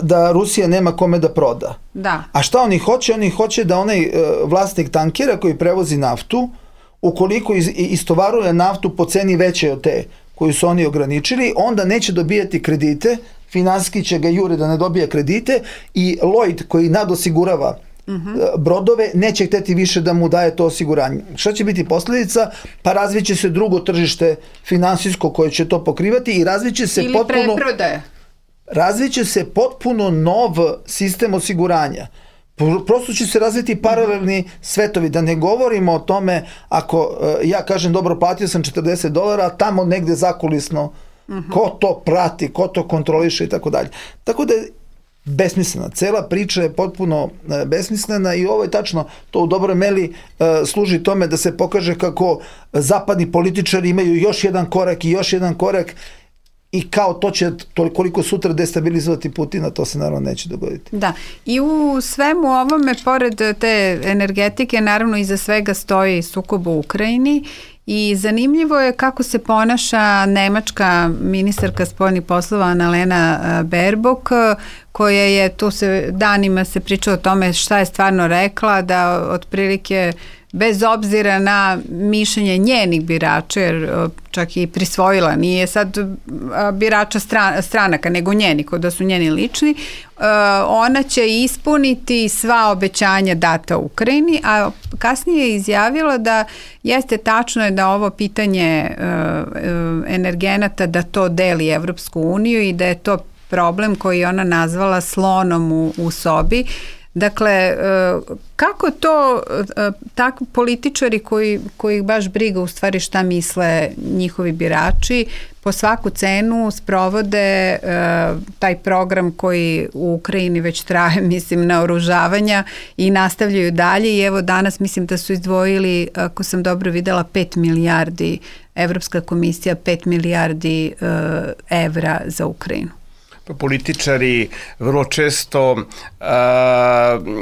da Rusija nema kome da proda. Da. A šta oni hoće? Oni hoće da onaj vlasnik tankera koji prevozi naftu, ukoliko istovaruje naftu po ceni veće od te koju su oni ograničili, onda neće dobijati kredite, finansijski će ga jure da ne dobija kredite i Lloyd koji nadosigurava brodove neće hteti više da mu daje to osiguranje. Šta će biti posljedica? Pa razviće se drugo tržište finansijsko koje će to pokrivati i razviće se potpuno nov sistem osiguranja. Prosto će se razviti paralelni svetovi, da ne govorimo o tome ako ja kažem dobro platio sam $40, a tamo negde zakulisno ko to prati, ko to kontroliše i tako dalje. Tako da besmislena. Cela priča je potpuno besmislena i ovo je tačno, to u dobroj meri služi tome da se pokaže kako zapadni političari imaju još jedan korak i još jedan korak i kao to će koliko sutra destabilizovati Putina, to se naravno neće dogoditi. Da, i u svemu ovome, pored te energetike, naravno iza svega stoji sukob u Ukrajini I zanimljivo je kako se ponaša nemačka ministarka spoljnih poslova Annalena Baerbock, koja je, tu se danima se priča o tome šta je stvarno rekla, da otprilike bez obzira na mišljenje njenih birača, jer čak i prisvojila, nije sad birača stranaka, nego njeni, da su njeni lični, ona će ispuniti sva obećanja data Ukrajini, a kasnije je izjavila da jeste tačno je da ovo pitanje energenata, da to deli Evropsku uniju i da je to problem koji ona nazvala slonom u sobi. Dakle, kako to tako političari koji baš briga u stvari šta misle njihovi birači po svaku cenu sprovode taj program koji u Ukrajini već traje, mislim, naoružavanja i nastavljaju dalje i evo danas mislim da su izdvojili, ako sam dobro videla, 5 milijardi, Evropska komisija 5 milijardi evra za Ukrajinu. Političari vrlo često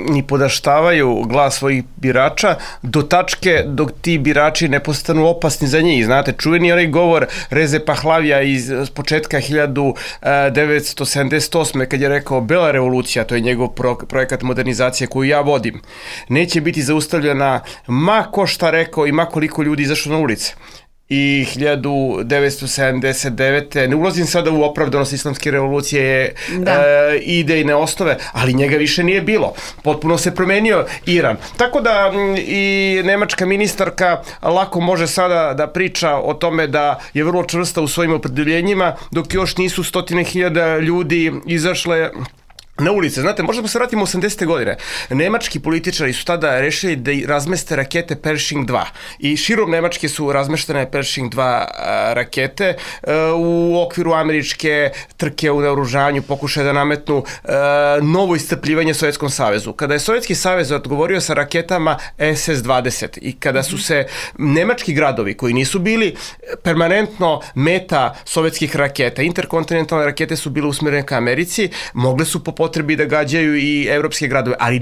ni podaštavaju glas svojih birača do tačke dok ti birači ne postanu opasni za njih. Znate, čuveni onaj govor Reze Pahlavija iz početka 1978. kad je rekao Bela revolucija, to je njegov projekat modernizacije koju ja vodim, neće biti zaustavljena ma ko šta rekao i ma koliko ljudi izašlo na ulice. I 1979. ne ulazim sada u opravdanost islamske revolucije idejne osnove, ali njega više nije bilo. Potpuno se promenio Iran. Tako da i nemačka ministarka lako može sada da priča o tome da je vrlo čvrsta u svojim opredeljenjima, dok još nisu 100.000 ljudi izašle na ulice. Znate, možda se vratimo u 80. godine. Nemački političari su tada rešili da razmeste rakete Pershing 2 i širom Nemačke su razmeštene Pershing 2 rakete u okviru američke trke u naoružanju, pokušaja da nametnu novo iscrpljivanje Sovjetskom savezu. Kada je Sovjetski savez odgovorio sa raketama SS-20 i kada su se nemački gradovi koji nisu bili permanentno meta sovjetskih raketa, interkontinentalne rakete su bile usmjerene ka Americi, mogle su po potrebi da gađaju i evropske gradove, ali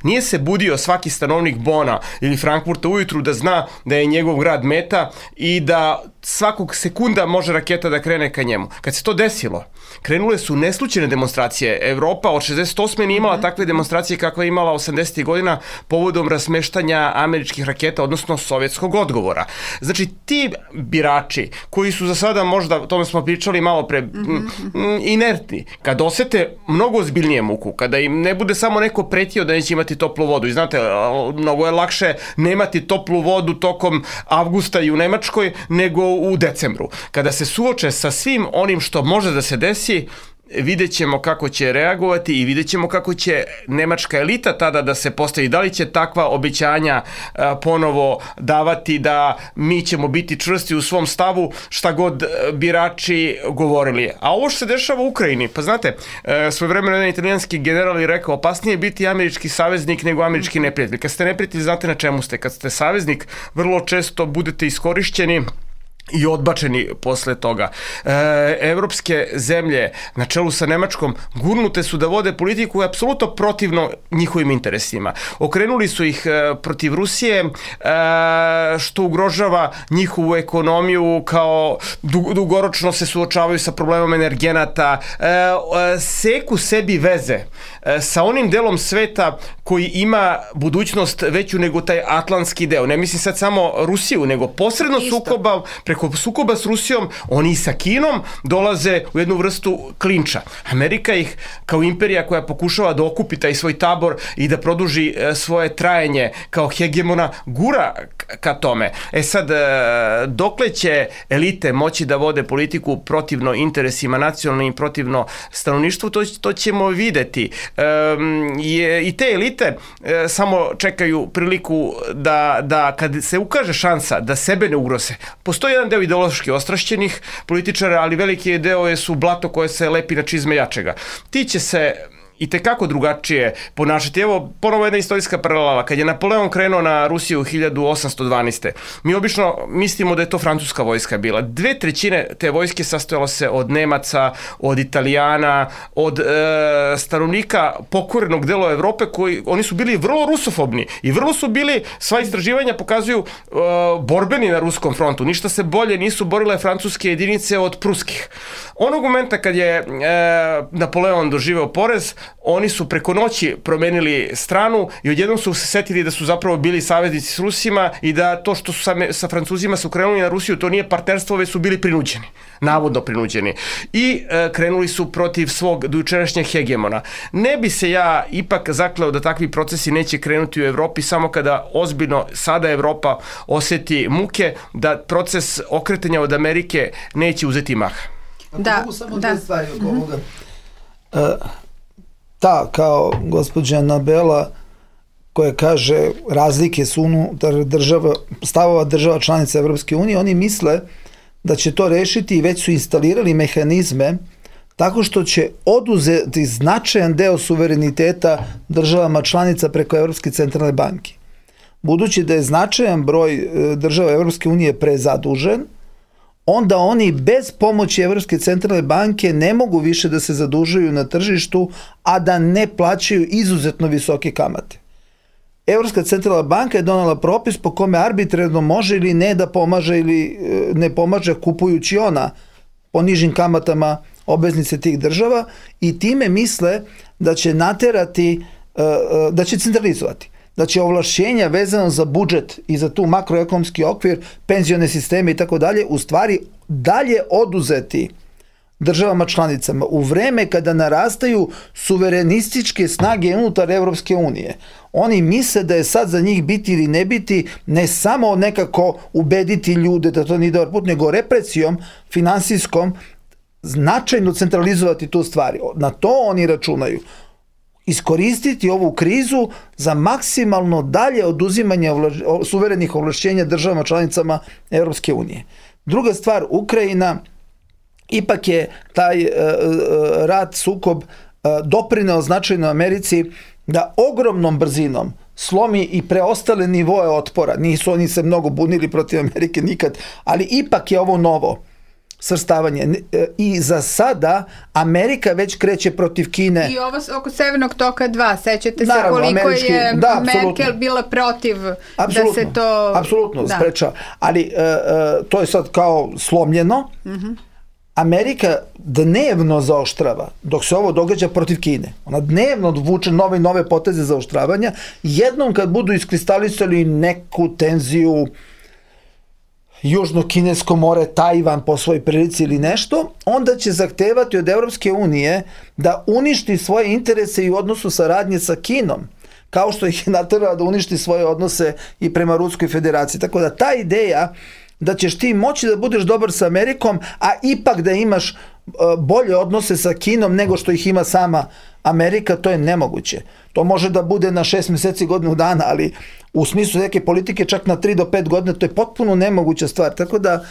nije se budio svaki stanovnik Bona ili Frankfurta ujutru da zna da je njegov grad meta i da svakog sekunda može raketa da krene ka njemu. Kad se to desilo, krenule su neslučajne demonstracije. Evropa od 68. nije imala takve demonstracije kakve je imala 80. godina povodom razmeštanja američkih raketa, odnosno sovjetskog odgovora. Znači, ti birači koji su za sada možda, o tome smo pričali malo pre, inertni, kad osete mnogo ozbiljnije muku, kada im ne bude samo neko pretio da neće imati toplu vodu. I znate, mnogo je lakše nemati toplu vodu tokom avgusta i u Nemačkoj nego u decembru. Kada se suoče sa svim onim što može da se desi, vidjet ćemo kako će reagovati i vidjet ćemo kako će nemačka elita tada da se postavi. Da li će takva obećanja ponovo davati da mi ćemo biti čvrsti u svom stavu šta god birači govorili. A ovo što se dešava u Ukrajini, pa znate, svojevremeno jedan italijanski general je rekao opasnije je biti američki saveznik nego američki neprijatelj. Kad ste neprijatelj, znate na čemu ste. Kad ste saveznik, vrlo često budete iskorišćeni i odbačeni posle toga. Evropske zemlje na čelu sa Nemačkom gurnute su da vode politiku apsolutno protivno njihovim interesima. Okrenuli su ih protiv Rusije, što ugrožava njihovu ekonomiju, kao dugoročno se suočavaju sa problemom energenata, seku sebi veze sa onim delom sveta koji ima budućnost veću nego taj atlantski deo. Ne mislim sad samo Rusiju, nego posredno preko sukoba s Rusijom, oni i sa Kinom dolaze u jednu vrstu klinča. Amerika ih kao imperija koja pokušava da okupi taj svoj tabor i da produži svoje trajanje kao hegemona, gura ka tome. Sad, dokle će elite moći da vode politiku protivno interesima nacionalnim, protivno stanovništvu, to ćemo videti. I te elite samo čekaju priliku da kad se ukaže šansa da sebe ne ugroze. Postoji jedan deo ideološki ostrašćenih političara, ali veliki deo su blato koje se lepi na čizme jačega. Ti će se i tekako drugačije ponašati. Evo, ponovo jedna istorijska paralela. Kad je Napoleon krenuo na Rusiju 1812. Mi obično mislimo da je to francuska vojska bila. 2/3 te vojske sastojalo se od Nemaca, od Italijana, od stanovnika pokorenog dela Evrope, oni su bili vrlo rusofobni i vrlo su bili, sva istraživanja pokazuju, borbeni na ruskom frontu. Ništa se bolje nisu borile francuske jedinice od pruskih. Onog momenta kad je Napoleon doživeo poraz, oni su preko noći promenili stranu i odjednom su se setili da su zapravo bili saveznici s Rusima i da to što su sa Francuzima su krenuli na Rusiju, to nije partnerstvo, već su bili prinuđeni, navodno prinuđeni. I krenuli su protiv svog dojučerašnjeg hegemona. Ne bi se ja ipak zakleo da takvi procesi neće krenuti u Evropi samo kada ozbiljno sada Evropa oseti muke, da proces okretanja od Amerike neće uzeti maha. Da, da. Stvari oko ovoga. Ta, kao gospođa Anabela, koja kaže razlike su unutar stavova država članica Evropske unije, oni misle da će to rešiti i već su instalirali mehanizme tako što će oduzeti značajan deo suvereniteta državama članica preko Evropske centralne banke. Budući da je značajan broj država Evropske unije prezadužen, onda oni bez pomoći Evropske centralne banke ne mogu više da se zadužuju na tržištu, a da ne plaćaju izuzetno visoke kamate. Evropska centralna banka je donala propis po kome arbitrarno može ili ne da pomaže ili ne pomaže kupujući ona po nižim kamatama obveznice tih država i time misle da će naterati, da će centralizovati, da će ovlašćenja vezano za budžet i za tu makroekonomski okvir, penzione sisteme i tako dalje, u stvari dalje oduzeti državama članicama u vreme kada narastaju suverenističke snage unutar Evropske unije. Oni misle da je sad za njih biti ili ne biti ne samo nekako ubediti ljude da to nije dobar put, nego represijom finansijskom značajno centralizovati tu stvari. Na to oni računaju. Iskoristiti ovu krizu za maksimalno dalje oduzimanje suverenih ovlašćenja državama članicama Evropske unije. Druga stvar, Ukrajina, ipak je taj rat, sukob doprineo značajno Americi da ogromnom brzinom slomi i preostale nivoe otpora. Nisu oni se mnogo bunili protiv Amerike nikad, ali ipak je ovo novo svrstavanje. I za sada Amerika već kreće protiv Kine. I ovo oko Severnog toka 2, sećate se koliko je Merkel bila protiv da se to... Apsolutno, spreča. Ali to je sad kao slomljeno. Amerika dnevno zaoštrava, dok se ovo događa protiv Kine. Ona dnevno vuče nove poteze zaoštravanja. Jednom kad budu iskristalisali neku tenziju Južno-Kinesko more, Tajvan po svojoj prilici ili nešto, onda će zahtevati od Evropske unije da uništi svoje interese i u odnosu saradnje sa Kinom, kao što ih je naterala da uništi svoje odnose i prema Ruskoj federaciji. Tako da ta ideja da ćeš ti moći da budeš dobar sa Amerikom, a ipak da imaš bolje odnose sa Kinom nego što ih ima sama Amerika, to je nemoguće. To može da bude na 6 meseci, godinu dana, ali u smislu neke politike čak na 3 do 5 godina, to je potpuno nemoguća stvar. Tako da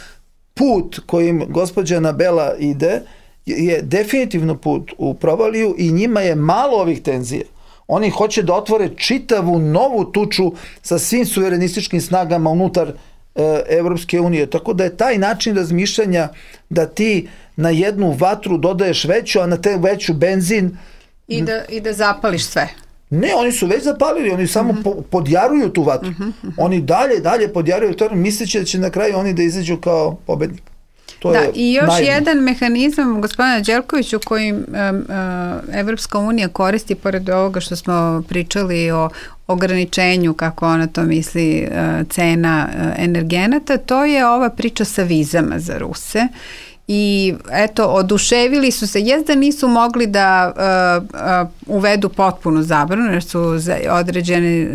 put kojim gospođa Anabela ide je definitivno put u provaliju i njima je malo ovih tenzija. Oni hoće da otvore čitavu novu tuču sa svim suverenističkim snagama unutar Evropske unije. Tako da je taj način razmišljanja da ti na jednu vatru dodaješ veću, a na te veću benzin... I da zapališ sve. Ne, oni su već zapalili, oni samo podjaruju tu vatru. Oni dalje podjaruju to, misleći da će na kraju oni da izađu kao pobednik. I još jedan mehanizam, gospodine Đelkoviću, kojim Evropska unija koristi, pored ovoga što smo pričali o ograničenju, kako ona to misli, cena energenata, to je ova priča sa vizama za Ruse. I eto, oduševili su se, da nisu mogli da uvedu potpunu zabranu, jer su određene,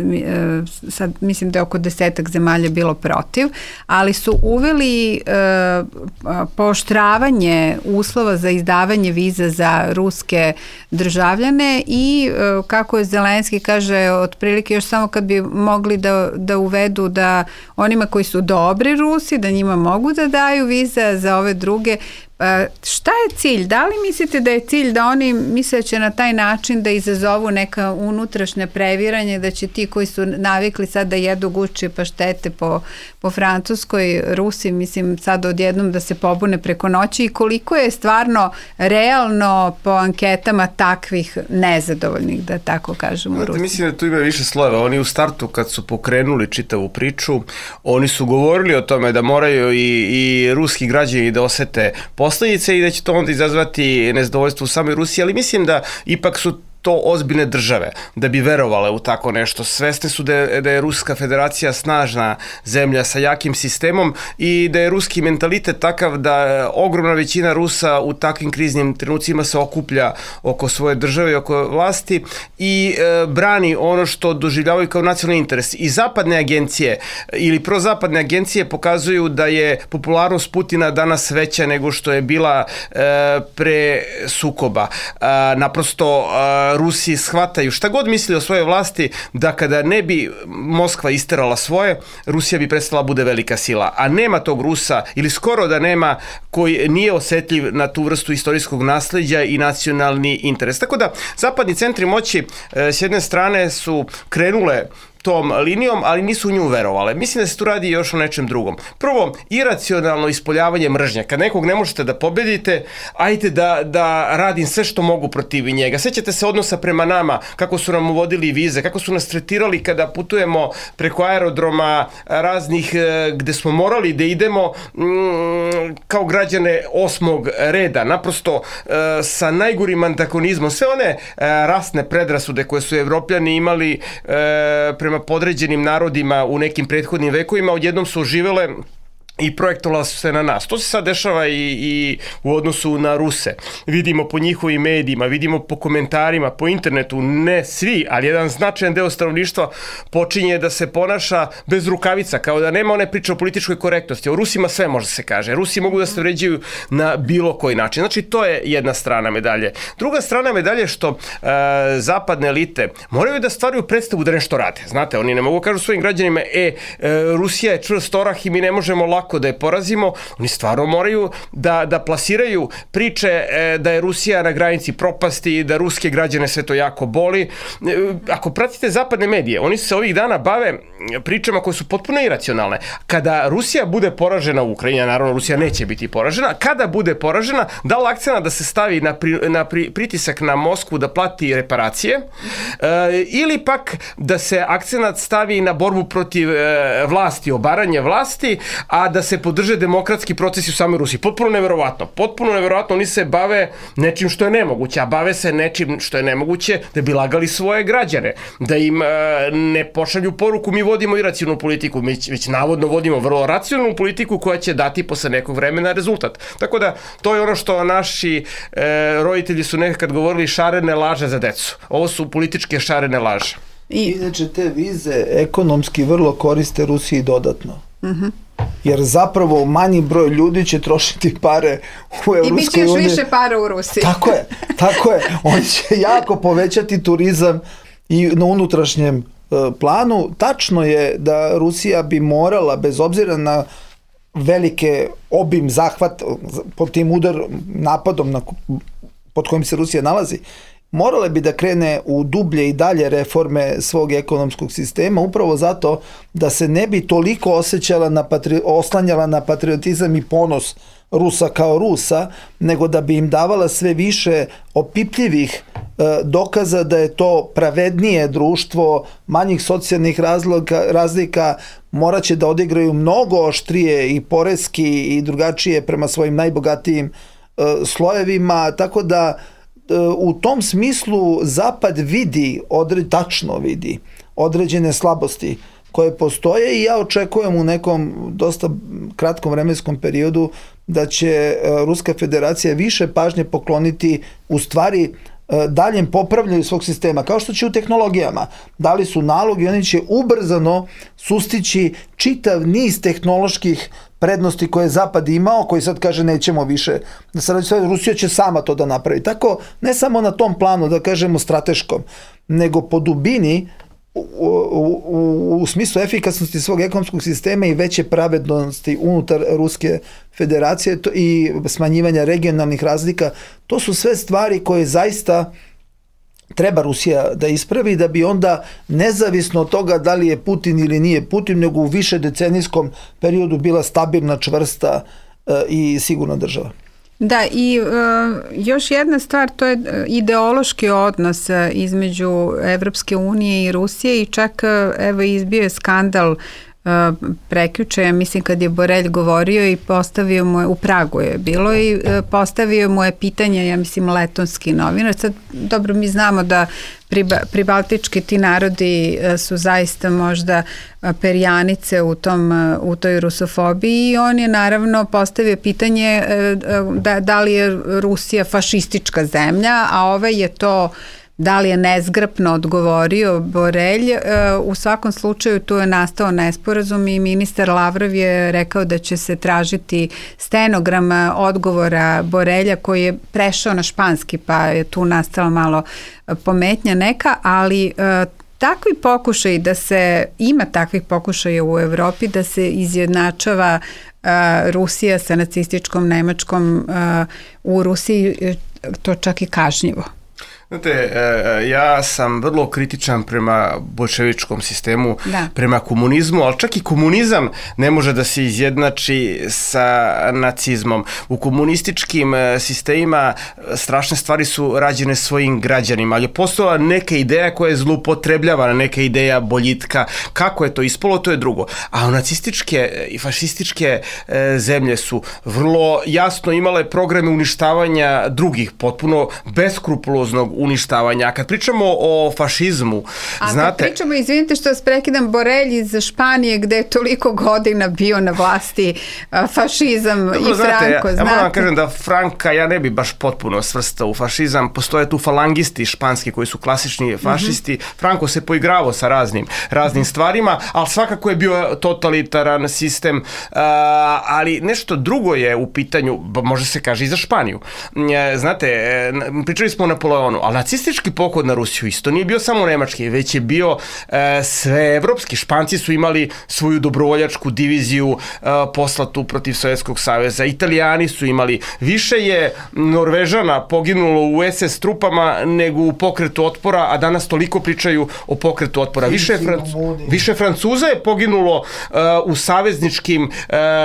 sad mislim da je oko 10 zemalja bilo protiv, ali su uveli pooštravanje uslova za izdavanje viza za ruske državljane i kako je Zelenski kaže, otprilike još samo kad bi mogli da uvedu da onima koji su dobri Rusi, da njima mogu da daju vize, za ove druge Šta je cilj? Da li mislite da je cilj da oni misle će na taj način da izazovu neka unutrašnja previranja, da će ti koji su navikli sad da jedu gušće paštete po Francuskoj, Rusi, mislim sad odjednom da se pobune preko noći, i koliko je stvarno realno po anketama takvih nezadovoljnih, da tako kažemo, u Rusiji? Mislim da tu ima više slojeva. Oni u startu kad su pokrenuli čitavu priču, oni su govorili o tome da moraju i ruski građani da osete posljedice i da će to onda izazvati nezadovoljstvo u samoj Rusiji, ali mislim da ipak su to ozbiljne države da bi verovale u tako nešto. Svesne su da je Ruska federacija snažna zemlja sa jakim sistemom i da je ruski mentalitet takav da ogromna većina Rusa u takvim kriznim trenucima se okuplja oko svoje države i oko vlasti i brani ono što doživljavaju kao nacionalni interes. I zapadne agencije ili prozapadne agencije pokazuju da je popularnost Putina danas veća nego što je bila pre sukoba. Naprosto Rusi shvataju šta god misli o svojoj vlasti, da kada ne bi Moskva isterala svoje, Rusija bi prestala bude velika sila. A nema tog Rusa, ili skoro da nema, koji nije osetljiv na tu vrstu istorijskog nasleđa i nacionalni interes. Tako da zapadni centri moći s jedne strane su krenule tom linijom, ali nisu u nju verovale. Mislim da se tu radi još o nečem drugom. Prvo, iracionalno ispoljavanje mržnje. Kad nekog ne možete da pobedite, ajte da radim sve što mogu protiv njega. Sećate se odnosa prema nama, kako su nam uvodili vize, kako su nas tretirali kada putujemo preko aerodroma raznih gde smo morali da idemo kao građane 8. reda. Naprosto sa najgorim antagonizmom. Sve one rasne predrasude koje su Evropljani imali prema podređenim narodima u nekim prethodnim vekovima, odjednom su oživele i projektovala su se na nas. To se sad dešava i u odnosu na Ruse. Vidimo po njihovim medijima, vidimo po komentarima, po internetu, ne svi, ali jedan značajan deo stanovništva počinje da se ponaša bez rukavica, kao da nema one priče o političkoj korektnosti. O Rusima sve može se kaže. Rusi mogu da se vređaju na bilo koji način. Znači, to je jedna strana medalje. Druga strana medalje je što zapadne elite moraju da stvaraju predstavu da nešto rade. Znate, oni ne mogu kažu svojim građanima, Rusija je čvrst orah i mi ne možemo lako da je porazimo. Oni stvarno moraju da plasiraju priče da je Rusija na granici propasti, da ruske građane sve to jako boli. Ako pratite zapadne medije, oni se ovih dana bave pričama koje su potpuno iracionalne. Kada Rusija bude poražena u Ukrajini, naravno Rusija neće biti poražena, kada bude poražena, da li akcena da se stavi na pritisak na Moskvu da plati reparacije, ili pak da se akcenat stavi na borbu protiv vlasti, obaranje vlasti, a da se podrže demokratski procesi u samoj Rusiji. Potpuno neverovatno. Potpuno neverovatno. Oni se bave nečim što je nemoguće, a bave se nečim što je nemoguće da bi lagali svoje građane. Da im ne pošalju poruku mi vodimo iracionalnu politiku, već navodno vodimo vrlo racionalnu politiku koja će dati posle nekog vremena rezultat. Tako da to je ono što naši roditelji su nekad govorili šarene laže za decu. Ovo su političke šarene laže. Inače te vize ekonomski vrlo koriste Rusiji dodatno. Jer zapravo manji broj ljudi će trošiti pare u Evropskoj uniji. I bit će još više para u Rusiji. Tako je. Oni će jako povećati turizam i na unutrašnjem planu. Tačno je da Rusija bi morala, bez obzira na velike obim zahvat pod tim napadom pod kojim se Rusija nalazi, morale bi da krene u dublje i dalje reforme svog ekonomskog sistema, upravo zato da se ne bi toliko oslanjala na patriotizam i ponos Rusa kao Rusa, nego da bi im davala sve više opipljivih dokaza da je to pravednije društvo, manjih socijalnih razlika, moraće da odigraju mnogo oštrije i poreski i drugačije prema svojim najbogatijim slojevima, tako da u tom smislu Zapad tačno vidi određene slabosti koje postoje i ja očekujem u nekom dosta kratkom vremenskom periodu da će Ruska federacija više pažnje pokloniti u stvari daljem popravljanju svog sistema, kao što će u tehnologijama. Dali su nalog i oni će ubrzano sustići čitav niz tehnoloških prednosti koje je Zapad imao, koji sad kaže nećemo više. Rusija će sama to da napravi. Tako, ne samo na tom planu, da kažemo strateškom, nego po dubini u smislu efikasnosti svog ekonomskog sistema i veće pravednosti unutar Ruske federacije i smanjivanja regionalnih razlika, to su sve stvari koje zaista treba Rusija da ispravi, da bi onda nezavisno od toga da li je Putin ili nije Putin, nego u više decenijskom periodu bila stabilna, čvrsta i sigurna država. Da, i još jedna stvar, to je ideološki odnos između Evropske unije i Rusije i čak evo izbio je skandal prekjuče, mislim kad je Borelj govorio i postavio mu je, u Pragu je bilo i postavio mu je pitanje, ja mislim letonski novinar, sad dobro mi znamo da pribaltički ti narodi su zaista možda perjanice u toj rusofobiji i on je naravno postavio pitanje da li je Rusija fašistička zemlja, a ovaj je to da li je nezgrapno odgovorio Borelj. U svakom slučaju tu je nastao nesporazum i ministar Lavrov je rekao da će se tražiti stenogram odgovora Borelja koji je prešao na španski pa je tu nastala malo pometnja neka, ali takvi pokušaj ima takvih pokušaja u Evropi da se izjednačava Rusija sa nacističkom Nemačkom, u Rusiji to čak i kažnjivo. Znate, ja sam vrlo kritičan prema bolševičkom sistemu, prema komunizmu, ali čak i komunizam ne može da se izjednači sa nacizmom. U komunističkim sistemima strašne stvari su rađene svojim građanima, ali je postojala neka ideja koja je zloupotrebljavana, neka ideja boljitka. Kako je to ispalo, to je drugo. A nacističke i fašističke zemlje su vrlo jasno imale programe uništavanja drugih, potpuno beskrupuloznog uništavanja. A kad pričamo o fašizmu, znate... Kad pričamo, izvinite što vas prekidam, Borelj iz Španije gde je toliko godina bio na vlasti fašizam. Dobro, i Franko, ja moram kažem da Franka ja ne bi baš potpuno svrstao u fašizam. Postoje tu falangisti španski koji su klasični fašisti. Franko se poigravao sa raznim stvarima, ali svakako je bio totalitaran sistem, ali nešto drugo je u pitanju, može se kaže i za Španiju. Znate, pričali smo o Napoleonu, ali nacistički pohod na Rusiju isto nije bio samo nemački, već je bio sveevropski. Španci su imali svoju dobrovoljačku diviziju poslatu protiv Sovjetskog saveza. Italijani su imali. Više je Norvežana poginulo u SS trupama nego u pokretu otpora, a danas toliko pričaju o pokretu otpora. Više Francuza je poginulo u savezničkim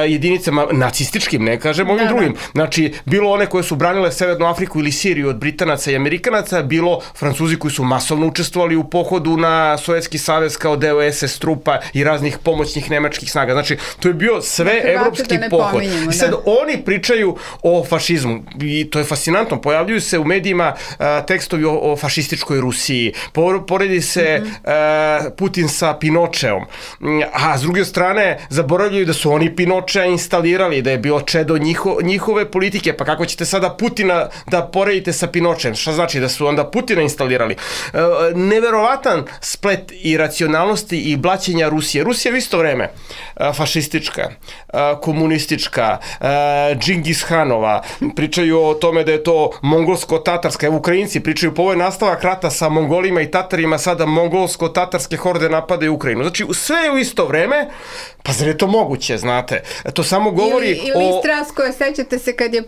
jedinicama, nacističkim, ne kažem ovim drugim. Znači, bilo one koje su branile Severnu Afriku ili Siriju od Britanaca i Amerikanaca, bilo Francuzi koji su masovno učestvovali u pohodu na Sovjetski savez kao deo SS trupa i raznih pomoćnih nemačkih snaga. Znači, to je bio sve evropski pohod. I sad oni pričaju o fašizmu i to je fascinantno. Pojavljuju se u medijima tekstovi o fašističkoj Rusiji. Poredi se Putin sa Pinočeom. A s druge strane, zaboravljaju da su oni Pinočea instalirali, da je bilo čedo njihove politike. Pa kako ćete sada Putina da poredite sa Pinočem? Šta znači da su onda Putina instalirali? Neverovatan splet i racionalnosti i blaćenja Rusije. Rusija je u isto vreme fašistička, komunistička, Džingis Hanova, pričaju o tome da je to mongolsko-tatarska, evo Ukrajinci pričaju, po ovo je nastavak rata sa Mongolima i Tatarima, sada mongolsko-tatarske horde napadaju Ukrajinu. Znači, sve je u isto vreme, pa zar je to moguće, znate? To samo govori ili Stras koje sećate se kad je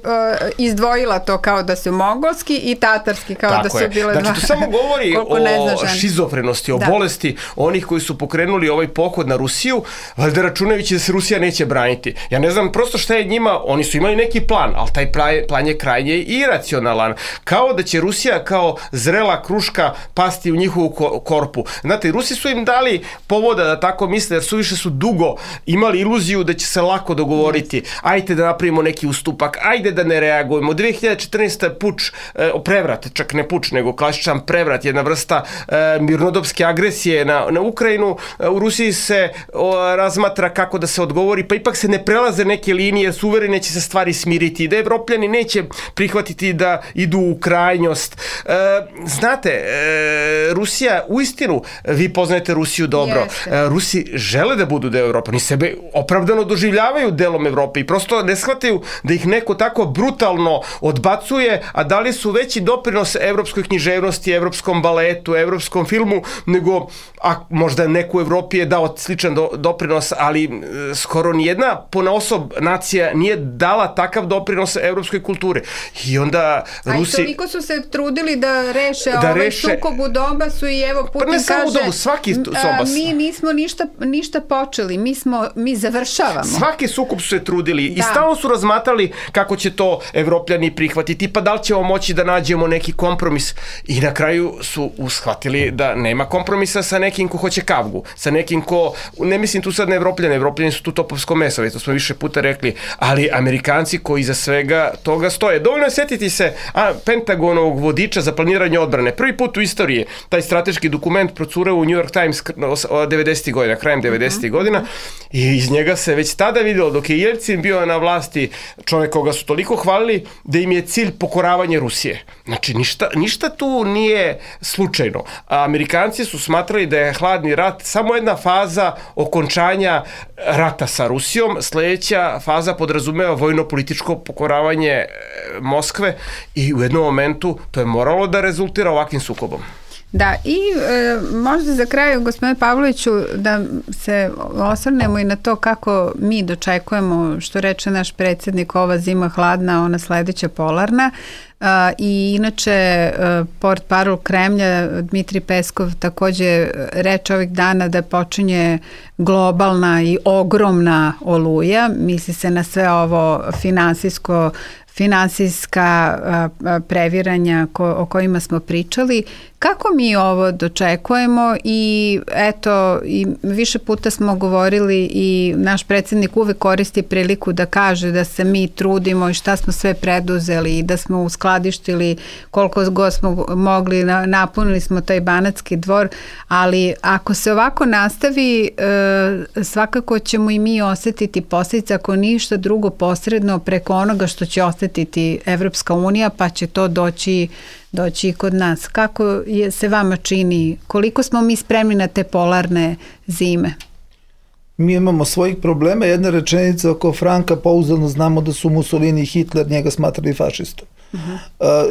izdvojila to kao da su mongolski i tatarski kao tako da su bile dva. Znači, to samo govori o šizofrenosti, o bolesti onih koji su pokrenuli ovaj pohod na Rusiju, valjda računajući da se Rusija neće braniti. Ja ne znam prosto šta je njima, oni su imali neki plan, ali taj plan je krajnje iracionalan. Kao da će Rusija kao zrela kruška pasti u njihovu korpu. Znate, Rusi su im dali povoda da tako misle, jer suviše su dugo imali iluziju da će se lako dogovoriti. Ajde da napravimo neki ustupak, ajde da ne reagujemo. 2014. puč, prevrat, čak ne puč, nego klasičan prevrat, jedna vrsta mirnodopske agresije na Ukrajinu. U Rusiji se razmatra kako da se odgovori, pa ipak se ne prelaze neke linije, jer su uvereni će se stvari smiriti, da Evropljani neće prihvatiti da idu u krajnjost. Znate, Rusija, uistinu, vi poznajete Rusiju dobro, Rusi žele da budu deo Evrope, oni sebe opravdano doživljavaju delom Evrope i prosto ne shvataju da ih neko tako brutalno odbacuje, a da li su veći doprinos evropskoj književnosti, evropskom baletu, evropskom filmu, nego, a možda neko u Evropi je dao sličan doprinos, ali skoro nijedna ponaosob nacija nije dala takav doprinos evropskoj kulturi. I onda Rusi... A i toliko su se trudili da reše sukob u Donbasu i evo Putin ne samo kaže... u svaki Donbas. Mi nismo ništa počeli, mi završavamo. Svaki sukob su se trudili i stalno su razmatrali kako će to Evropljani prihvatiti, pa da li ćemo moći da nađemo neki kompromis. I na kraju su shvatili da nema kompromisa sa nekim ko hoće kavgu, sa nekim ko, ne mislim tu sad na Evropljane, Evropljani su tu topovsko meso, to smo više puta rekli, ali Amerikanci koji iza svega toga stoje. Dovoljno je setiti se Pentagonovog vodiča za planiranje odbrane. Prvi put u istoriji taj strateški dokument procureo u New York Times 90. godina, krajem 90. godina i iz njega se već tada videlo dok je Jelcin bio na vlasti, čovjek koga su toliko hvalili da im je cilj pokoravanje Rusije. Znači ništa tu nije slučajno. A Amerikanci su smatrali da je hladni rat samo jedna faza okončanja rata sa Rusijom, sledeća faza podrazumeva vojno-političko pokoravanje Moskve i u jednom momentu to je moralo da rezultira ovakvim sukobom. Da, i možda za kraj, gospodine Pavloviću, da se osvrnemo i na to kako mi dočekujemo, što reče naš predsjednik, ova zima hladna, ona sledeća polarna. I inače portparol Kremlja Dmitri Peskov takođe reče ovih dana da počinje globalna i ogromna oluja, misli se na sve ovo finansijska previranja o kojima smo pričali. Kako mi ovo dočekujemo i eto, i više puta smo govorili i naš predsjednik uvek koristi priliku da kaže da se mi trudimo i šta smo sve preduzeli i da smo uskladištili koliko god smo mogli, napunili smo taj Banatski dvor, ali ako se ovako nastavi, svakako ćemo i mi osetiti posljedice, ako ništa drugo posredno preko onoga što će osetiti Evropska unija, pa će to doći i kod nas. Kako se vama čini? Koliko smo mi spremni na te polarne zime? Mi imamo svojih problema. Jedna rečenica oko Franka, pouzdano znamo da su Mussolini i Hitler njega smatrali fašistom.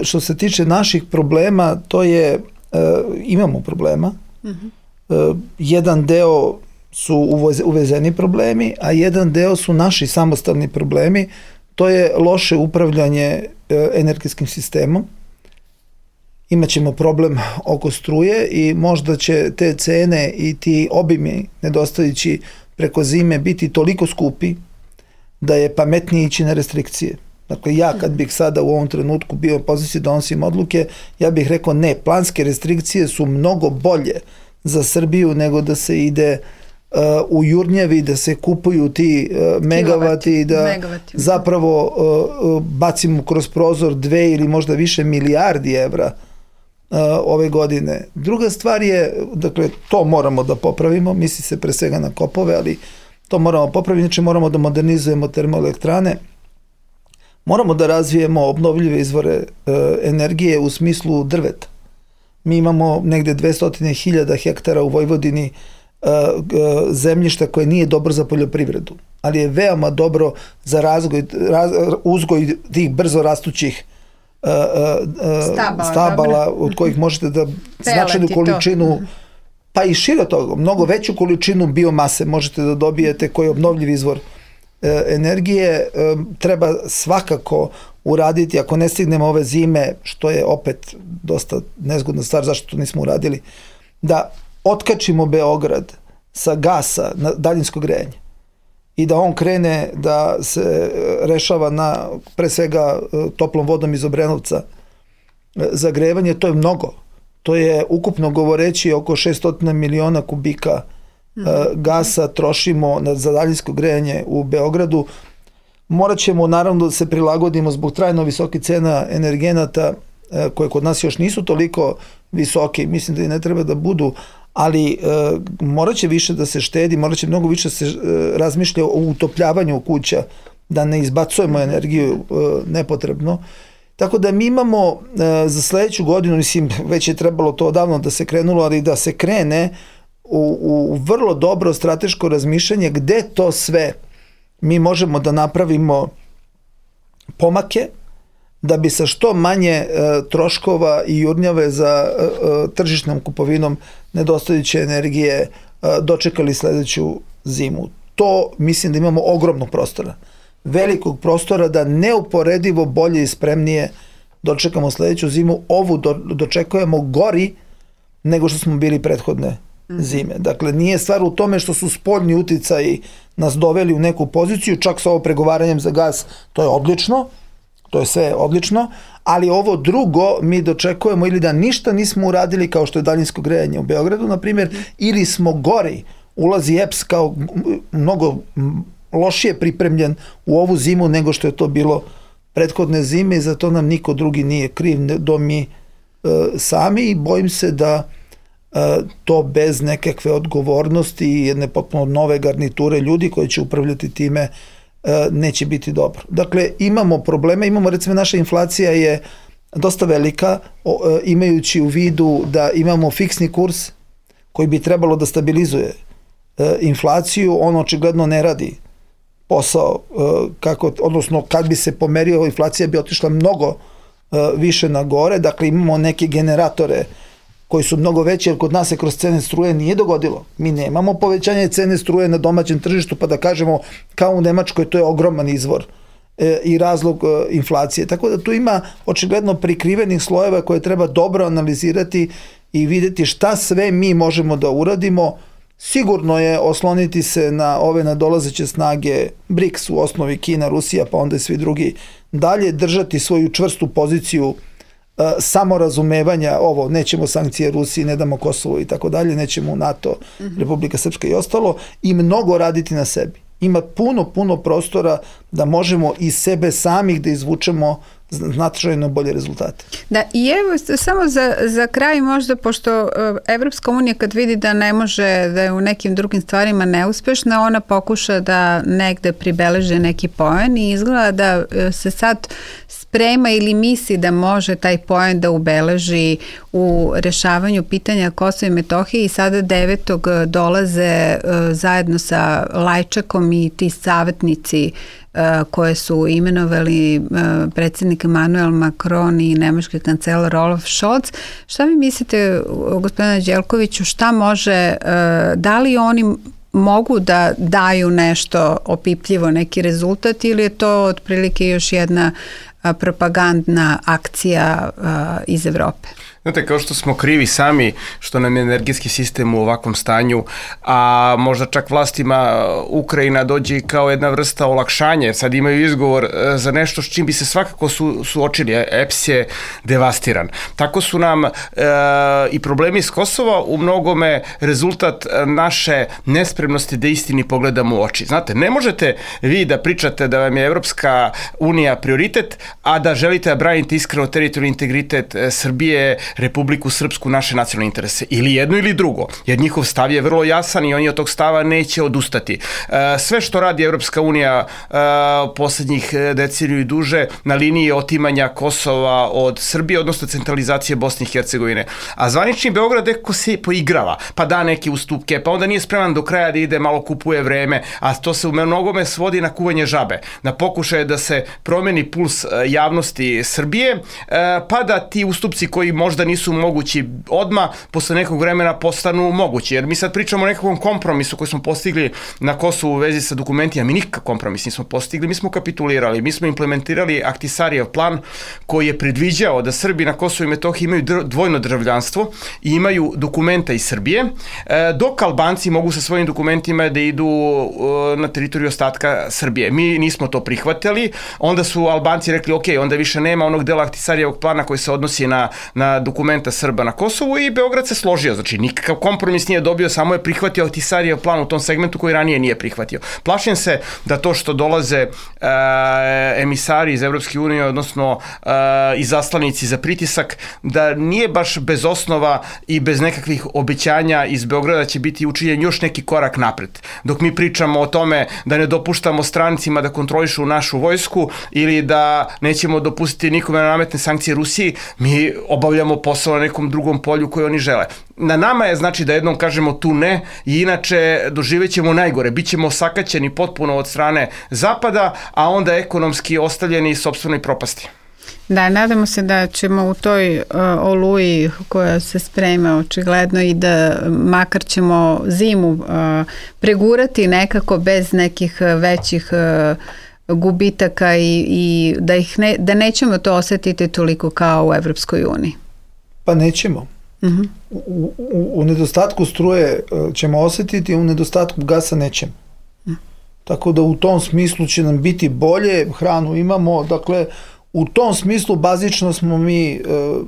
Što se tiče naših problema, to je, imamo problema. Jedan deo su uvezeni problemi, a jedan deo su naši samostalni problemi. To je loše upravljanje energetskim sistemom. Imaćemo problem oko struje i možda će te cene i ti obimi nedostajući preko zime biti toliko skupi da je pametnije ići na restrikcije. Dakle, ja kad bih sada u ovom trenutku bio u poziciji da donosim odluke, ja bih rekao ne, planske restrikcije su mnogo bolje za Srbiju nego da se ide u Jurnjevi, da se kupuju ti megavati i da zapravo bacimo kroz prozor 2 ili možda više milijardi evra ove godine. Druga stvar je, dakle, to moramo da popravimo, misli se pre svega na kopove, ali to moramo popraviti, znači moramo da modernizujemo termoelektrane, moramo da razvijemo obnovljive izvore energije u smislu drveta. Mi imamo negde 200.000 hektara u Vojvodini zemljišta koje nije dobro za poljoprivredu, ali je veoma dobro za uzgoj tih brzo rastućih stabala od kojih možete da značajnu količinu, pa i šire toga, mnogo veću količinu biomase možete da dobijete koji je obnovljiv izvor energije. Treba svakako uraditi, ako ne stignemo ove zime, što je opet dosta nezgodna stvar, zašto to nismo uradili, da otkačimo Beograd sa gasa na daljinsko grejanje i da on krene da se rešava na, pre svega, toplom vodom iz Obrenovca za grevanje. To je mnogo. To je ukupno govoreći oko 600 miliona kubika gasa trošimo za daljinsko grejanje u Beogradu. Morat ćemo naravno da se prilagodimo zbog trajno visokih cena energenata koje kod nas još nisu toliko visoke, mislim da i ne treba da budu, ali morat će više da se štedi, morat će mnogo više da se razmišlja o utopljavanju kuća, da ne izbacujemo energiju nepotrebno. Tako da mi imamo za sledeću godinu, mislim, već je trebalo to odavno da se krenulo, ali da se krene u vrlo dobro strateško razmišljanje gde to sve mi možemo da napravimo pomake, da bi sa što manje troškova i jurnjave za tržišnom kupovinom nedostajuće energije dočekali sledeću zimu. To mislim da imamo ogromnog prostora. Velikog prostora da neuporedivo bolje i spremnije dočekamo sledeću zimu. Ovu dočekujemo gori nego što smo bili prethodne zime. Dakle, nije stvar u tome što su spoljni uticaji nas doveli u neku poziciju, čak sa ovo pregovaranjem za gas, to je odlično, to je sve odlično, ali ovo drugo mi dočekujemo ili da ništa nismo uradili kao što je daljinsko grejanje u Beogradu, na primjer, ili smo gori, ulazi EPS kao mnogo lošije pripremljen u ovu zimu nego što je to bilo prethodne zime i zato nam niko drugi nije kriv do mi sami i bojim se da to bez nekakve odgovornosti i jedne potpuno nove garniture ljudi koji će upravljati time neće biti dobro. Dakle, imamo probleme, recimo naša inflacija je dosta velika, imajući u vidu da imamo fiksni kurs koji bi trebalo da stabilizuje inflaciju, on očigledno ne radi posao, odnosno kad bi se pomerio, inflacija bi otišla mnogo više na gore, dakle imamo neke generatore koji su mnogo veći, jer kod nas se kroz cene struje nije dogodilo. Mi nemamo povećanje cene struje na domaćem tržištu, pa da kažemo kao u Nemačkoj, to je ogroman izvor i razlog inflacije. Tako da tu ima očigledno prikrivenih slojeva koje treba dobro analizirati i videti šta sve mi možemo da uradimo. Sigurno je osloniti se na ove nadolazeće snage BRICS, u osnovi Kina, Rusija, pa onda i svi drugi, dalje držati svoju čvrstu poziciju samorazumevanja, ovo, nećemo sankcije Rusiji, ne damo Kosovo i tako dalje, nećemo u NATO, Republika Srpska i ostalo, i mnogo raditi na sebi. Ima puno prostora da možemo iz sebe samih da izvučemo značajno bolje rezultate. Da, i evo samo za kraj možda, pošto Evropska unija kad vidi da ne može, da je u nekim drugim stvarima neuspešna, ona pokuša da negde pribeleže neki poen i izgleda da se sad sprema ili misli da može taj poen da ubeleži u rešavanju pitanja Kosova i Metohije i sada 9. dolaze zajedno sa Lajčakom i ti savjetnici koje su imenovali predsjednik Emmanuel Macron i nemački kancelar Olaf Scholz. Šta vi mislite, gospodine Đelkoviću, šta može, da li oni mogu da daju nešto opipljivo, neki rezultat, ili je to otprilike još jedna propagandna akcija iz Evrope? Znate, kao što smo krivi sami što nam je energetski sistem u ovakvom stanju, a možda čak vlastima Ukrajina dođe kao jedna vrsta olakšanja, jer sad imaju izgovor za nešto s čim bi se svakako suočili. EPS je devastiran. Tako su nam i problemi s Kosova u mnogome rezultat naše nespremnosti da istini pogledamo u oči. Znate, ne možete vi da pričate da vam je Evropska unija prioritet, a da želite da branite iskreno teritorijalni integritet Srbije, Republiku Srpsku, naše nacionalne interese. Ili jedno ili drugo. Jer njihov stav je vrlo jasan i oni od tog stava neće odustati. Sve što radi Evropska unija poslednjih deceniju i duže na liniji otimanja Kosova od Srbije, odnosno centralizacije Bosne i Hercegovine. A zvanični Beograd neko se poigrava, pa da neke ustupke, pa onda nije spreman do kraja da ide, malo kupuje vreme, a to se u mnogome svodi na kuvanje žabe, na pokušaje da se promeni puls javnosti Srbije, pa da ti ustupci koji možda nisu mogući odmah, posle nekog vremena postanu mogući. Jer mi sad pričamo o nekakvom kompromisu koji smo postigli na Kosovu u vezi sa dokumentima. Mi nikakav kompromis nismo postigli, mi smo kapitulirali, mi smo implementirali Ahtisarijev plan koji je predviđao da Srbi na Kosovu i Metohiji imaju dvojno državljanstvo i imaju dokumenta iz Srbije, dok Albanci mogu sa svojim dokumentima da idu na teritoriju ostatka Srbije. Mi nismo to prihvatili, onda su Albanci rekli ok, onda više nema onog dela Ahtisarijevog plana koji se odnosi na dokumenta Srba na Kosovu i Beograd se složio. Znači, nikakav kompromis nije dobio, samo je prihvatio Ahtisarijev plan u tom segmentu koji ranije nije prihvatio. Plašim se da to što dolaze emisari iz Evropske unije, odnosno i zaslanici za pritisak, da nije baš bez osnova i bez nekakvih obećanja iz Beograda će biti učinjen još neki korak napred. Dok mi pričamo o tome da ne dopuštamo strancima da kontrolišu našu vojsku ili da nećemo dopustiti nikome da nametne sankcije Rusiji, mi obavljamo posao na nekom drugom polju koje oni žele. Na nama je znači da jednom kažemo tu ne i inače doživjet ćemo najgore. Bićemo osakaćeni potpuno od strane Zapada, a onda ekonomski ostavljeni sopstvenoj propasti. Da, nadamo se da ćemo u toj oluji koja se sprema očigledno i da makar ćemo zimu pregurati nekako bez nekih većih gubitaka i da nećemo to osetiti toliko kao u Evropskoj uniji. Pa nećemo. Uh-huh. U nedostatku struje ćemo osetiti, u nedostatku gasa nećemo. Tako da u tom smislu će nam biti bolje, hranu imamo, dakle u tom smislu bazično smo mi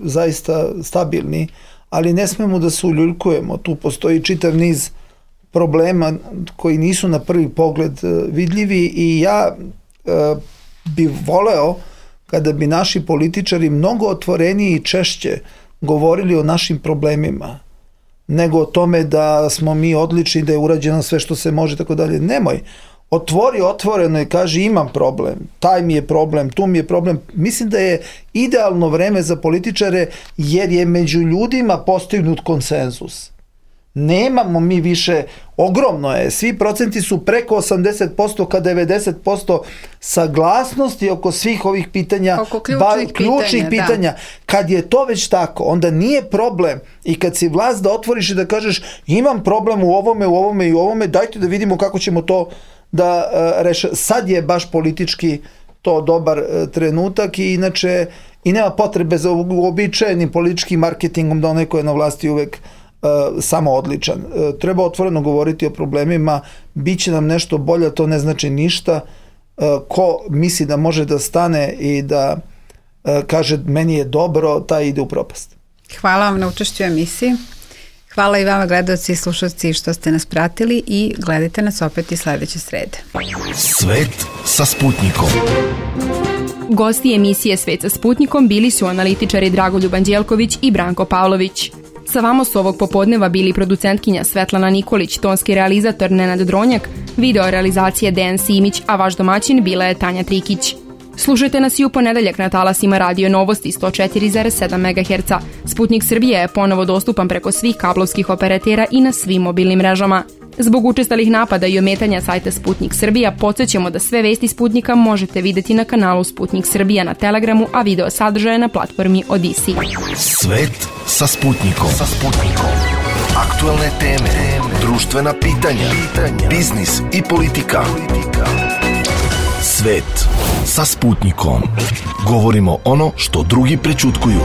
zaista stabilni, ali ne smemo da se uljuljkujemo. Tu postoji čitav niz problema koji nisu na prvi pogled vidljivi i ja bi voleo kada bi naši političari mnogo otvoreniji i češće govorili o našim problemima, nego o tome da smo mi odlični, da je urađeno sve što se može, tako dalje. Nemoj. Otvori otvoreno i kaži imam problem, taj mi je problem, tu mi je problem. Mislim da je idealno vreme za političare jer je među ljudima postignut konsenzus. Nemamo mi više, ogromno je, svi procenti su preko 80% ka 90% saglasnosti oko svih ovih pitanja, oko ključnih pitanja. Da. Kad je to već tako, onda nije problem i kad si vlast da otvoriš i da kažeš imam problem u ovome, dajte da vidimo kako ćemo to da reša. Sad je baš politički to dobar trenutak i inače i nema potrebe za uobičajenim političkim marketingom da onaj ko je na vlasti uvek samo odličan. Treba otvoreno govoriti o problemima, bit će nam nešto bolje, to ne znači ništa. Ko misli da može da stane i da kaže meni je dobro, taj ide u propast. Hvala vam na učešću u emisiji. Hvala i vama gledalci i slušalci što ste nas pratili i gledajte nas opet i sledeće srede. Svet sa Sputnikom. Gosti emisije Svet sa Sputnikom bili su analitičari Dragoljub Anđelković i Branko Pavlović. Sa vama su ovog popodneva bili producentkinja Svetlana Nikolić, tonski realizator Nenad Dronjak, video realizacije Dejan Simić, a vaš domaćin bila je Tanja Trikić. Slušajte nas i u ponedeljak na talasima Radio Novosti 104,7 MHz. Sputnik Srbije je ponovo dostupan preko svih kablovskih operatera i na svim mobilnim mrežama. Zbog učestalih napada i ometanja sajta Sputnik Srbija, podsjećamo da sve vesti Sputnika možete videti na kanalu Sputnik Srbija na Telegramu, a video sadržaje na platformi Odisi. Svet sa Sputnikom. Aktualne teme, društvena pitanja, biznis i politika. Svet sa Sputnikom. Govorimo ono što drugi prećutkuju.